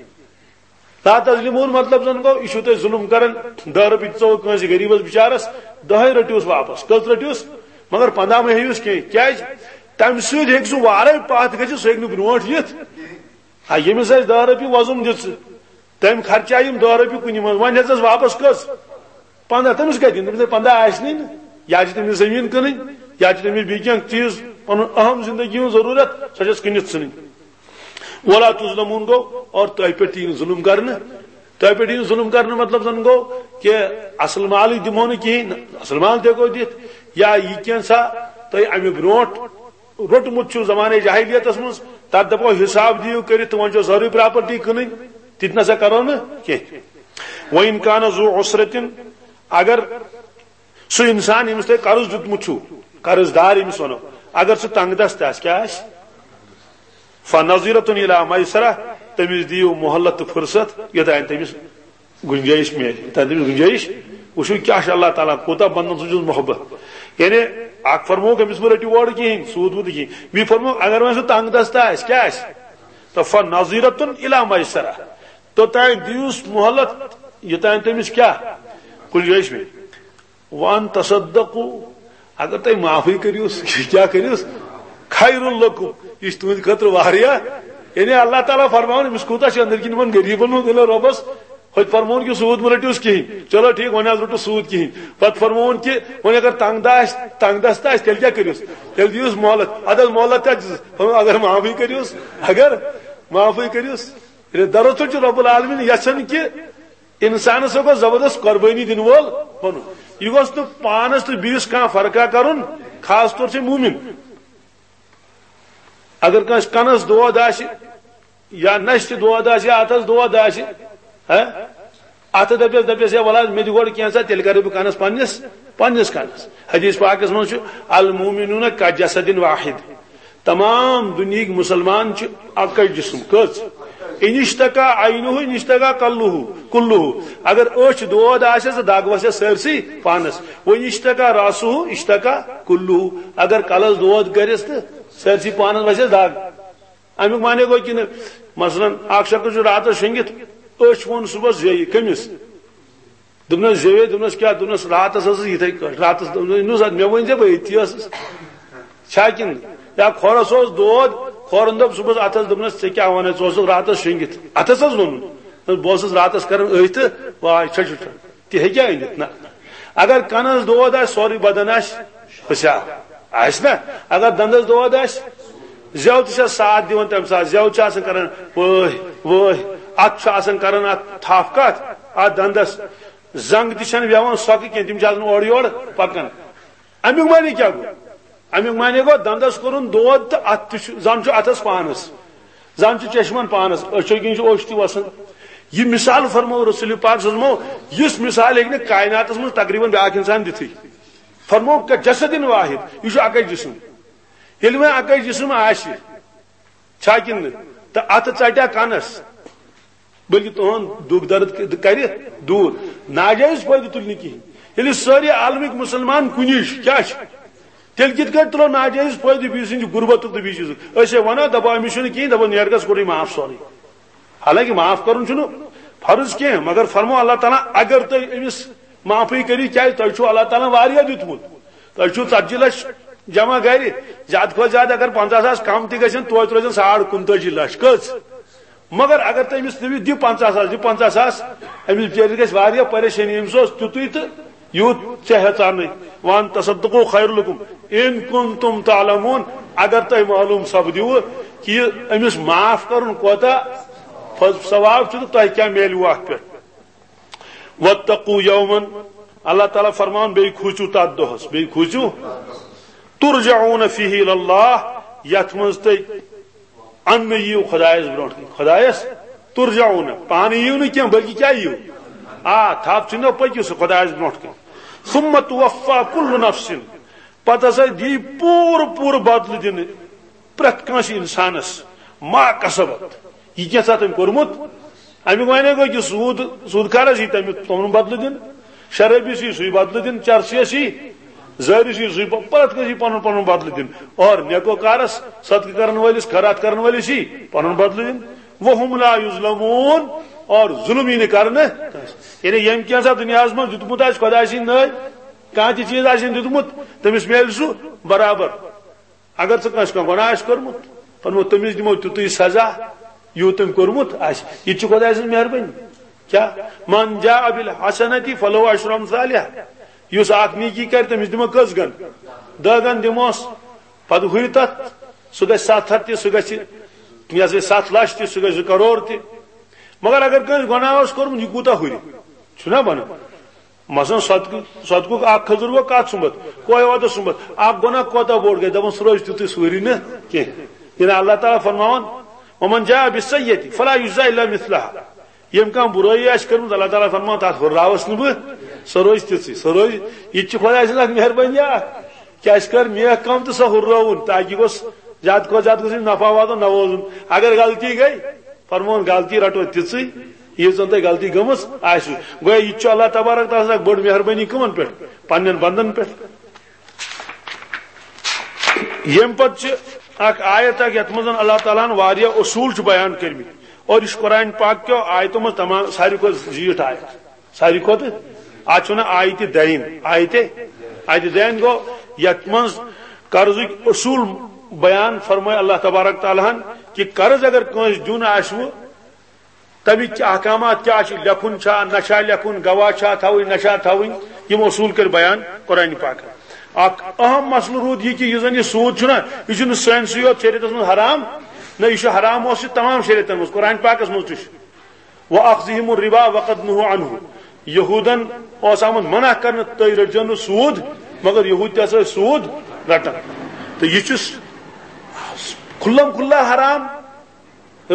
"لا تظلمون" مطلب زن گوٚو، یہِ چھُو تۄہہِ ظُلُم کران، دَہ رۄپیہِ دِژوٕ کٲنٛسہِ غریٖبس بِچارس، دَہے رٔٹِوس واپس۔ کٔژ رٔٹِوس؟ مگر پنٛداہ مہٕ ہیٚیِوس کینٛہہ۔ کیٛازِ؟ تمہِ سۭتۍ ہیٚکہِ سُہ وارے پتھ گٔژھِتھ، سُہ ہیٚکہِ نہٕ برونٛٹھ یِتھ۔ آ، ییٚمِس اَسہِ دَہ رۄپیہِ وۄزُم دِژ، تٔمۍ خرچایہِ یِم دَہ رۄپیہِ کُنہِ منٛز، وۄنۍ ہیٚژٕس واپس کٔژ؟ پنٛداہ۔ تٔمِس کَتہِ دِن؟ تٔمِس ہے پنٛداہ آسہِ نٕے نہٕ۔ یا چھِ تٔمِس زٔمیٖن کٕنٕنۍ، یا چھِ تٔمِس بیٚیہِ کینٛہہ چیٖز، پَنُن اہم زندگی ہٕنٛز ضروٗرت، سۄ چھَس کٕنِتھ ژھٕنٕنۍ۔ "ولا تظلمون" گوٚو، اور تۄہہِ پٮ۪ٹھ یی نہٕ ظُلُم کرنہٕ۔ تۄہہِ پٮ۪ٹھ یی نہٕ ظُلُم کرنہٕ مطلب زَن گوٚو کہِ اَصٕل مالٕے دِمو نہٕ کِہیٖنۍ، اَصٕل مال تہِ ہٮ۪کو دِتھ، یا یہِ کینٛژھا تۄہہِ اَمہِ برونٛٹھ روٚٹمُت چھُو زمانَے جاہلیتَس منٛز، تَتھ دَپو حِساب دِیِو کٔرِتھ تہٕ وۄنۍ چھو سٲرٕے پراپرٹی کٕنٕنۍ، تِتہِ نہ سا کَرو نہٕ کینٛہہ۔ "وَإِنْ كَانَ ذُو عُسْرَةٍ"، اگر سُہ اِنسان ییٚمِس تۄہہِ قرض دیُتمُت چھُو، قرض دار ییٚمِس وَنو، اگر سُہ تنٛگ دست آسہِ، کیٛاہ آسہِ؟ "فَنَظِرَةٌ إِلَى مَيْسَرَةٍ"، تٔمِس دِیِو مۄہلت تہٕ فرصت، یوٚتانۍ تٔمِس گُنجٲیِش میلہِ، یوٚتانۍ تٔمِس گُنجٲیِش۔ وٕچھِو کیٛاہ چھُ اللہ تعالیٰ، کوٗتاہ بنٛدَن سُنٛد چھُس محبت۔ یعنی اکھ فرمووُکھ أمِس مہٕ رٔٹِو اورٕ کِہیٖنۍ، سوٗد ووٗد کِہیٖنۍ۔ بیٚیہِ فرمووُکھ اگر وۄنۍ سُہ تنٛگ دست آسہِ، کیٛاہ آسہِ؟ تہٕ "فَنَظِرَةٌ إِلَى مَيْسَرَةٍ"، توٚتانۍ دِیوس مۄہلت، یوٚتانۍ تٔمِس کیٛاہ گُنجٲیِش میلہِ۔ "وَأَنْ تَصَدَّقُوا"، اگر تُہۍ معافٕے کٔرِوس، کیٛاہ کٔرِوس؟ "خَيْرٌ لَكُمْ"، یہِ چھُ تُہٕنٛدِ خٲطرٕ واریاہ۔ یعنی اللہ تعالیٰ فرماوان، أمِس کوٗتاہ چھُ أنٛدٕرۍ کِنۍ یِمن غریٖبن ہُنٛد دِلہٕ رۄبس، ہوٚتہِ فرمووُن کہِ سوٗد مہٕ رٔٹِوس کِہیٖنۍ۔ چلو ٹھیٖک، وۄنۍ حظ رٔٹِو سوٗد کِہیٖنۍ۔ پتہٕ فرمووُن کہِ وۄنۍ اگر تنٛگ دست آسہِ، تنٛگ دست آسہِ، تیٚلہِ کیٛاہ کٔرِوس؟ تیٚلہِ دِیوس مۄہلت۔ اَدٕ حظ مۄہلت تہِ حظ دِژٕس۔ فرمووُن، اگر معافٕے کٔرِوس، اگر معافٕے کٔرِوس۔ یعنی دراصل چھُ رب العالمین یژھان کہِ انسانس گوٚژھ زبردست قربٲنی دِنہٕ وول بنُن۔ یہِ گوٚژھ نہٕ پانس تہٕ بیٚیِس کانٛہہ فرقہ کرُن، خاص طور چھِ مومن۔ اگر کٲنٛسہِ کنس دود آسہِ، یا نشہِ دود آسہِ، یا اتھس دود آسہِ، ہہ؟ اتھٕ دپیس، دپیس، "ہے ولہٕ حظ، مےٚ دِ گۄڈٕ کینٛژھا، تیٚلہِ کرٕ بہٕ کنس پننِس، پننِس کنس۔" حدیث پاکس منٛز چھُ، "المؤمنون کجسد واحد"، تمام دُنیہٕکۍ مسلمان چھِ اکٕے جسم۔ کٔژ؟ "ان اشتکا عینہ، ان اشتکا کلہ، کلہ"۔ اگر أچھ دود آسٮ۪س، دگ وسٮ۪س سٲرسٕے پانس۔ "و ان اشتکا راسہ، اشتکا کلہ"۔ اگر کلس دود کرٮ۪س تہٕ سٲرسٕے پانس وسٮ۪س دگ۔ امیُک معنی گوٚو کِنہٕ، مثلاً، اکھ شخص چھُ راتس شۄنگِتھ، أچھ ووٚن صُبحس زیٚیہِ۔ کٔمِس؟ دوٚپنس، "زیٚوے"، دوٚپنس، "کیٛاہ؟" دوٚپنس، "راتس ٲسٕس یِتھے کٲٹھۍ، راتس"، دوٚپنس، "نُس، مےٚ ؤنۍ زِ، بہٕ أتی ٲسٕس۔" چھا کِنہٕ؟ یا کھۄرس اوس دود، کھۄرن دوٚپ صُبحس، "اتھ حظ"، دوٚپنس، "ژےٚ کیٛاہ ونان، ژٕ اوسُکھ راتس شۄنگِتھ، اتھس حظ ووٚنُن، بہٕ اوسُس راتس کران أتھۍ تہٕ واے چھۄ چھۄ چھۄ۔" تہِ ہیٚکیٛاہ أنِتھ؟ نہ۔ اگر کنس دود آسہِ، سورُے بدن آسہِ پھٔسیٛاو، آسہِ نا؟ اگر دندس دود آسہِ، زٮ۪و تہِ چھس ساتھ دِوان تمہِ ساتہٕ، زٮ۪و چھِ آسان کران وٲہۍ وٲہۍ، اتھ چھُ آسان کران اتھ تھپھ کتھ، اتھ دندس زنگ تہِ چھنہٕ بیہوان سۄکھٕ کینٛہہ، تِم چھِ آسان اورٕ یورٕ پکان۔ امیُک معنی کیٛاہ گوٚو؟ امیُک معنی گوٚو دندس کوٚرُن دود تہٕ اتھ تہِ چھُ، زن چھُ اتھس پانس، زن چھُ چشمن پانس، أچھو کِنۍ چھُ اوٚش تہِ وسان۔ یہِ مثال فرموو رسول پاک صلی اللہ علیہ وسلمو، یُس مثال ہیٚکہِ نہٕ کائناتس منٛز تقریباً بیٛاکھ انسان دِتھٕے۔ فرموو، "کجسد واحد"، یہِ چھُ اکے جسم۔ ییٚلہِ وۄنۍ اکے جسم آسہِ، چھا کِنہٕ نہٕ؟ تہٕ اتھٕ ژٹیا کنس، بلکہ تُہُنٛد دُکھ درد کرِ دوٗر۔ ناجٲیز فٲیدٕ تُلہِ نہٕ کِہیٖنۍ۔ ییٚلہِ سٲری عالمٕکۍ مُسلمان کُنی چھِ، کیٛاہ چھِ؟ تیٚلہِ کِتھ کٲٹھۍ تُلو ناجٲیز فٲیدٕ بیٚیہِ سٕنٛدِ غُربتُک تہٕ بیٚیہِ چیٖزُک؟ أسۍ ہے وَنو، دَپو، أمِس چھُنہٕ کِہیٖنۍ، دَپو، نیر گژھ، کوٚرُے معاف سورُے۔ حالانکہ معاف کَرُن چھُنہٕ فرض کینٛہہ، مگر فرمو اللہ تعالیٰ، اگر تُہۍ أمِس معافٕے کٔرِو، کیٛازِ تۄہہِ چھُو اللہ تعالیٰ واریاہ دیُتمُت۔ تۄہہِ چھُو ژتجی لَچھ جمع گرِ، زیادٕ کھۄتہٕ زیادٕ اگر پنٛژاہ ساس کم تہِ گژھن، توتہِ روزن ساڑ کُنتٲجی لَچھ۔ کٔژ؟ مگر اگر تُہۍ أمِس دِیِو، دِ پنٛژاہ ساس، دِ پنٛژاہ ساس، أمِس بِچٲرِس گژھِ واریاہ پریشٲنی، أمِس اوس تیُتُے تہٕ یوٗت ژےٚ ہٮ۪ژانٕے۔ "وَأَن تَصَدَّقُوا خَيْرٌ لَكُمْ إِن كُنتُمْ تَعْلَمُونَ"، اگر تۄہہِ معلوم سپدِوٕ کہِ أمِس معاف کرُن کوتاہ پَز ثواب چھُ تہٕ تۄہہِ کیٛاہ میلوٕ اَتھ پٮ۪ٹھ؟ وَاتَّقُوا يَوْمًا، اللہ تعالیٰ فرماوان، بیٚیہِ کھوٗژِو تَتھ دۄہَس، بیٚیہِ کھوٗژِو، تُرْجَعُونَ فِيهِ إِلَى اللَّهِ، یَتھ منٛز تُہۍ اَننہٕ یِیِو خۄدایَس برونٛٹھ کَنہِ۔ خۄدایَس تُرْجَعُونَ، پانہٕ یِیِو نہٕ کینٛہہ، بلکہِ کیٛاہ یِیِو؟ آ، تھپھ ژھٕنِو، پٔکِو سا خۄدایَس برونٛٹھ کَنہِ۔ ثُمَّ تُوَفَّى كُلُّ نَفْسٍ، پَتہٕ ہسا دِیہِ پوٗرٕ پوٗرٕ بدلہٕ دِنہٕ پرٛٮ۪تھ کٲنٛسہِ اِنسانَس، ما کسبت، یہِ کینٛہہ ژھا تٔمۍ کوٚرمُت۔ اَمیُک معنی گوٚو کہِ سوٗد، سوٗد کارَس یی تَمیُک پَنُن بدلہٕ دِنہٕ، شرٲبِس یی سُے بدلہٕ دِنہٕ، چرسِیَس یی، زٲرِس یی سُے، پرٛٮ۪تھ کٲنٛسہِ یی پَنُن پَنُن بدلہٕ دِنہٕ۔ اور نیکو کارَس، صدقہٕ کرن وٲلِس، خٲرات کرن وٲلِس یی پَنُن بدلہٕ دِنہٕ۔ وَهُمْ لَا يُظْلَمُونَ، اور ظُلم یی نہٕ کرنہٕ کٲنٛسہِ۔ یعنی ییٚمۍ کینٛہہ ژھا دُنیاہَس منٛز دیُتمُت آسہِ خۄداے سٕنٛدۍ نٲوۍ، کانٛہہ تہِ چیٖز آسہِ دیُتمُت، تٔمِس میلہِ سُہ برابر۔ اگر ژٕ کٲنٛسہِ کانٛہہ گۄناہ آسہِ کوٚرمُت، فرموو، تٔمِس دِمو تیُتُے سزا، یوٗت تٔمۍ کوٚرمُت آسہِ۔ یہِ تہِ چھِ خۄداے سٕنٛز مہربٲنی۔ کیٛاہ؟ مَنْ جَاءَ بِالْحَسَنَةِ فَلَهُ عَشْرُ أَمْثَالِهَا۔ یُس اَکھ نیکی کَرِ، تٔمِس دِمو کٔژ گَن؟ دَہ گَن دِموس۔ پَتہٕ ہُرِ تَتھ، سُہ گژھِ ستھ ہَتھ تہِ، سُہ گژھِ، یہِ ہسا یہِ، ستھ لَچھ تہِ، سُہ گژھِ زٕ کَرور تہِ۔ مگر اگر کٲنٛسہِ گۄناہ اوس کوٚرمُت، یہِ کوٗتاہ ہُرِ؟ چھُنہ بَنان؟ مثلاً صدقہٕ، صدقُک اکھ کھٔزٕر ووٚو کتھ سُمبتھ، کویہِ وادس سُمبتھ، اکھ گۄناہ کوتاہ بوٚڑ گژھِ، دپان سُہ روزِ تیُتُے، سُہ ہُرِ نہٕ کینٛہہ۔ یعنی اللہ تعالیٰ فرماوان، "ومن جاء بالسیئۃ فلا یجزی الا مثلہا"۔ ییٚمۍ کانٛہہ بُرٲیی آسہِ کٔرمٕژ، اللہ تعالیٰ فرماوان، "تتھ ہُرراوس نہٕ بہٕ، سۄ روزِ تِژٕے، سۄ روزِ۔" یہِ تہِ چھِ خۄداے سٕنٛز اکھ مہربٲنی اکھ، کہِ اَسہِ کٔر نیک کٲم تہٕ سۄ ہُررٲوٕن، تاکہِ گوٚژھ زیادٕ کھۄتہٕ زیادٕ گٔژھ نفع واتُن، نہ ووزُن۔ اگر غلطی گٔے، فرمووُن، غلطی رٹو تِژٕے، ییٖژ زن تۄہہِ غلطی گٔمٕژ آسِوٕ۔ گویا یہِ تہِ چھُ اللہ تبارک تعالیٰ سٕنٛز اکھ بٔڑ مہربٲنی کٕمن پٮ۪ٹھ؟ پننٮ۪ن بندن پٮ۪ٹھ۔ ییٚمہِ پتہٕ چھِ اکھ آیت اکھ، یتھ منٛز اللہ تعالیٰ ہن واریاہ اصوٗل چھِ بیان کٔرمٕتۍ، اور یہِ چھُ قرآن پاک کیو آیتو منٛز تمام ساروی کھۄتہٕ زیٖٹھ آیت۔ ساروی کھۄتہٕ، اتھ چھِ ونان آیتِ دین۔ آیتِ، آیتِ دین گوٚو یتھ منٛز قرضٕکۍ اصوٗل بیان فرمٲے اللہ تبارک تعالیٰ ہن، کہِ قرض اگر کٲنٛسہِ دیُن آسِوٕ، تَمِکۍ احکامات کیٛاہ چھِ، لیکھُن چھا، نہ چھا لیکھُن، گواہ چھا تھاوٕنۍ، نہ چھا تھاوٕنۍ، یِم اصوٗل کٔرۍ بیان قرآنِ پاکن۔ اکھ اہم مسلہٕ روٗد یہِ کہِ یُس زن یہِ سوٗد چھُنہ، یہِ چھُنہٕ سٲنسٕے یوت شریعتس منٛز حرام، نہ، یہِ چھُ حرام اوس یہِ تمام شریعتن منٛز، قرآنِ پاکس منٛز تہِ چھُ۔ وَأَخْذِهِمُ الرِّبَا وَقَدْ نُهُوا عَنْهُ۔ یہوٗدن اوس آمُت منع کرنہٕ، تُہۍ رٔٹزیو نہٕ سوٗد، مگر یہوٗد تہِ ہسا ٲسۍ سوٗد رٹان۔ تہٕ یہِ چھُ کھُلم کھُلا حرام۔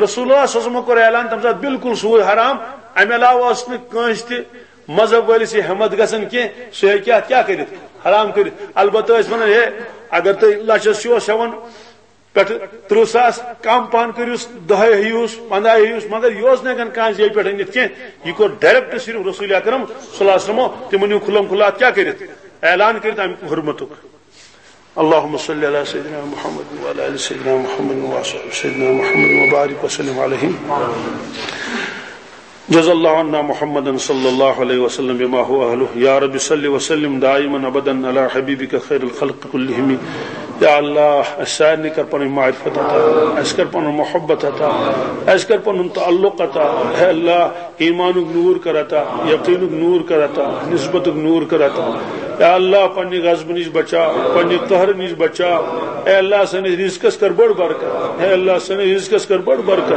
رسول اللہ صلی اللہ علیہ وسلم کوٚر اعلان تَمہِ ساتہٕ بالکل سوٗد حرام۔ اَمہِ علاوٕ ٲس نہٕ کٲنٛسہِ تہِ مذہب وٲلِس یہِ ہٮ۪متھ گژھان کینٛہہ، سُہ ہیٚکہِ اَتھ کیٛاہ کٔرِتھ؟ حرام کٔرِتھ۔ البتہ ٲسۍ وَنان، ہے، اگر تُہۍ لَچھَس چھِو ہٮ۪وان، پٮ۪ٹھٕ ترٕٛہ ساس کم پہن کٔرِوس، دَہے ہیٚیوس، پنٛداہے ہیٚیوس، مگر یہِ اوس نہٕ ہٮ۪کان کانٛہہ زیٚوِ پٮ۪ٹھ أنِتھ کینٛہہ۔ یہِ کوٚر direct صرف رسول اکرم صلی اللہ علیہ وسلمو تِمن ہیوٗ کھُلم کھُلا اَتھ کیٛاہ کٔرِتھ؟ اعلان کٔرِتھ اَمہِ حُرمتُک۔ اللهم صل على سيدنا محمد وعلى آل سيدنا محمد وصحبه سيدنا محمد وبارك وسلم عليهم۔ جزا الله عنا محمدا صلى الله عليه وسلم بما هو أهله۔ يا رب صل وسلم دائما أبدا على حبيبك خير الخلق كلهم۔ یا اللہ، اَسہِ سارنٕے کر پنٕنۍ معرفت عطا، اَسہِ کر پنُن محبت عطا، اَسہِ کر پنُن تعلق عطا۔ اے اللہ، ایمانُک نوٗر کر عطا، یقیٖنُک نوٗر کر عطا، نسبتُک نوٗر کر عطا۔ یا اللہ، پننہِ غضبہٕ نِش بچاو، پننہِ قہرٕ نِش بچاو۔ اے اللہ، سٲنِس رزقس کر بٔڑ برکت۔ اے اللہ، سٲنِس رزقس کر بٔڑ برکت۔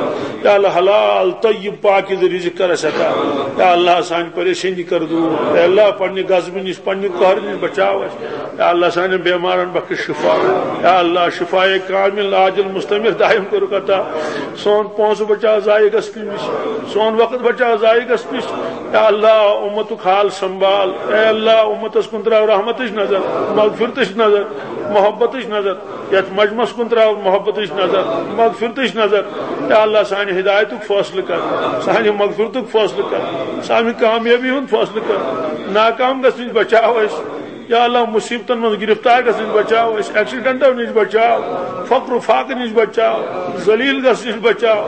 یا اللہ، حلال، طیب، پاکیزٕ رزق کر اَسہِ عطا۔ یا اللہ، سانہِ پریشٲنی کر دوٗر۔ اے اللہ، پننہِ غضبہٕ نِش، پننہِ قہرٕ نِش بچاو اَسہِ۔ یا اللہ، سانٮ۪ن بیمارن بخش شفا۔ یا اللہ، شفاء کامل عاجل مستمر دائم کٔرِکھ عطا۔ سون پونٛسہٕ بچاو ضایع گژھنہٕ نِش، سون وقت بچاو ضایع گژھنہٕ نِش۔ یا اللہ، اُمتُک حال سنبھال۔ اے اللہ، اُمتس کُن تراو رحمتٕچ نظر، مغفرتٕچ نظر، محبتٕچ نظر۔ یتھ مجمعس کُن تراو محبتٕچ نظر، مغفرتٕچ نظر۔ یا اللہ، سانہِ ہدایتُک فٲصلہٕ کر، سانہِ مغفرتُک فٲصلہٕ کر، سانہِ کامیٲبی ہُنٛد فٲصلہٕ کر، ناکام گژھنہٕ نِش بچاو أسۍ۔ یا اللہ، مصیبتن منٛز گرفتار گژھنہٕ نِش بچاو أسۍ، ایکسیڈنٹو نِش بچاو، فقر و فاقہٕ نِش بچاو، ذلیل گژھنہٕ نِش بچاو،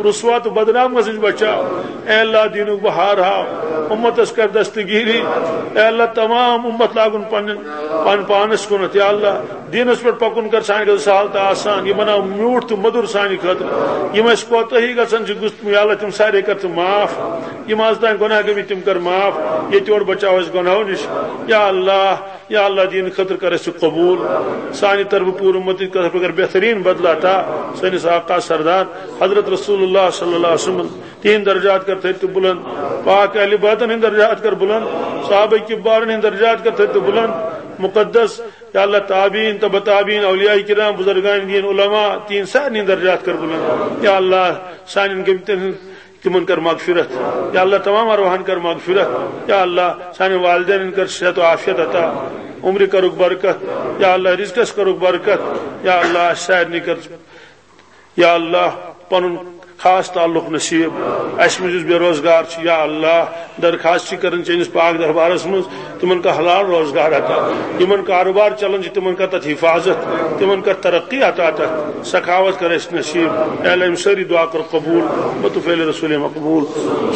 رسوا تہٕ بدنام گژھنہٕ نِش بچاو۔ اے اللہ، دیٖنُک بہار ہاو، اُمتس کر دستگیری۔ اے اللہ، تمام اُمت لاگُن پننٮ۪ن، پن پانس کُنتھ۔ یا اللہ، دیٖنس پٮ۪ٹھ پکُن کر سانہِ خٲطرٕ سہل تہٕ آسان۔ یہِ بناو میوٗٹھ تہٕ مٔدُر سانہِ خٲطرٕ۔ یِم اَسہِ کوتٲہی گژھان چھِ گُس-، یا اللہ، تِم سارے کر ژٕ معاف۔ یِم از تام گۄناہ گٔمٕتۍ، تِم کر معاف۔ ییٚتہِ یور بچاو اَسہِ گۄناہو نِش۔ یا اللہ، یا اللہ، دیٖنہٕ خٲطرٕ کر اَسہِ قبوٗل۔ سانہِ طرفہٕ پوٗرٕ اُمتٕچ طرفہٕ کر بہتریٖن بدلہٕ عطا۔ سٲنِس آقا سردار حضرت رسول اللہ صلی اللہ علیہ وسلم تہنٛدۍ درجات کر تھٔدۍ تہٕ بُلند۔ پاک اہل بیتن ہٕنٛدۍ درجات کر بُلند۔ صحابہ کبارن ہٕنٛدۍ درجات کر تھٔدۍ تہٕ بُلند۔ مقدس یا اللہ، تابعین، تبع تابعین، اولیاء کرام، بزرگان دین، علماء، تہنٛدۍ سارنٕے درجات کر بُلند۔ یا اللہ، سانٮ۪ن گٔمتٮ۪ن ہٕنٛز تِمن کر مغفرت۔ یا اللہ، تمام ارواحن کر مغفرت۔ یا اللہ، سانٮ۪ن والدینن کر صحت و عافیت عطا، عمرِ کرُکھ برکت۔ یا اللہ، رزقس کرُکھ برکت۔ یا اللہ، اسہِ سارنٕے کر، یا اللہ، پنُن خاص تعلق نصیب۔ اسہِ منٛز یُس بے روزگار چھُ، یا اللہ، درخواست چھِ کران چٲنِس پاک دربارس منٛز، تِمن کر حلال روزگار عطا۔ یِمن کاروبار چلان چھِ، تِمن کر تتھ حفاظت، تِمن کر ترقی عطا، تتھ سخاوت کر اسہِ نصیب۔ اے اللہ، یِم سٲری دعا کر قبول، بطفیل رسول مقبول۔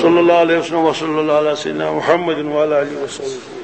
صلی اللہ علیہ وسلم، وصلی اللہ علی سیدنا محمد وعلی آلہ وصحبہ۔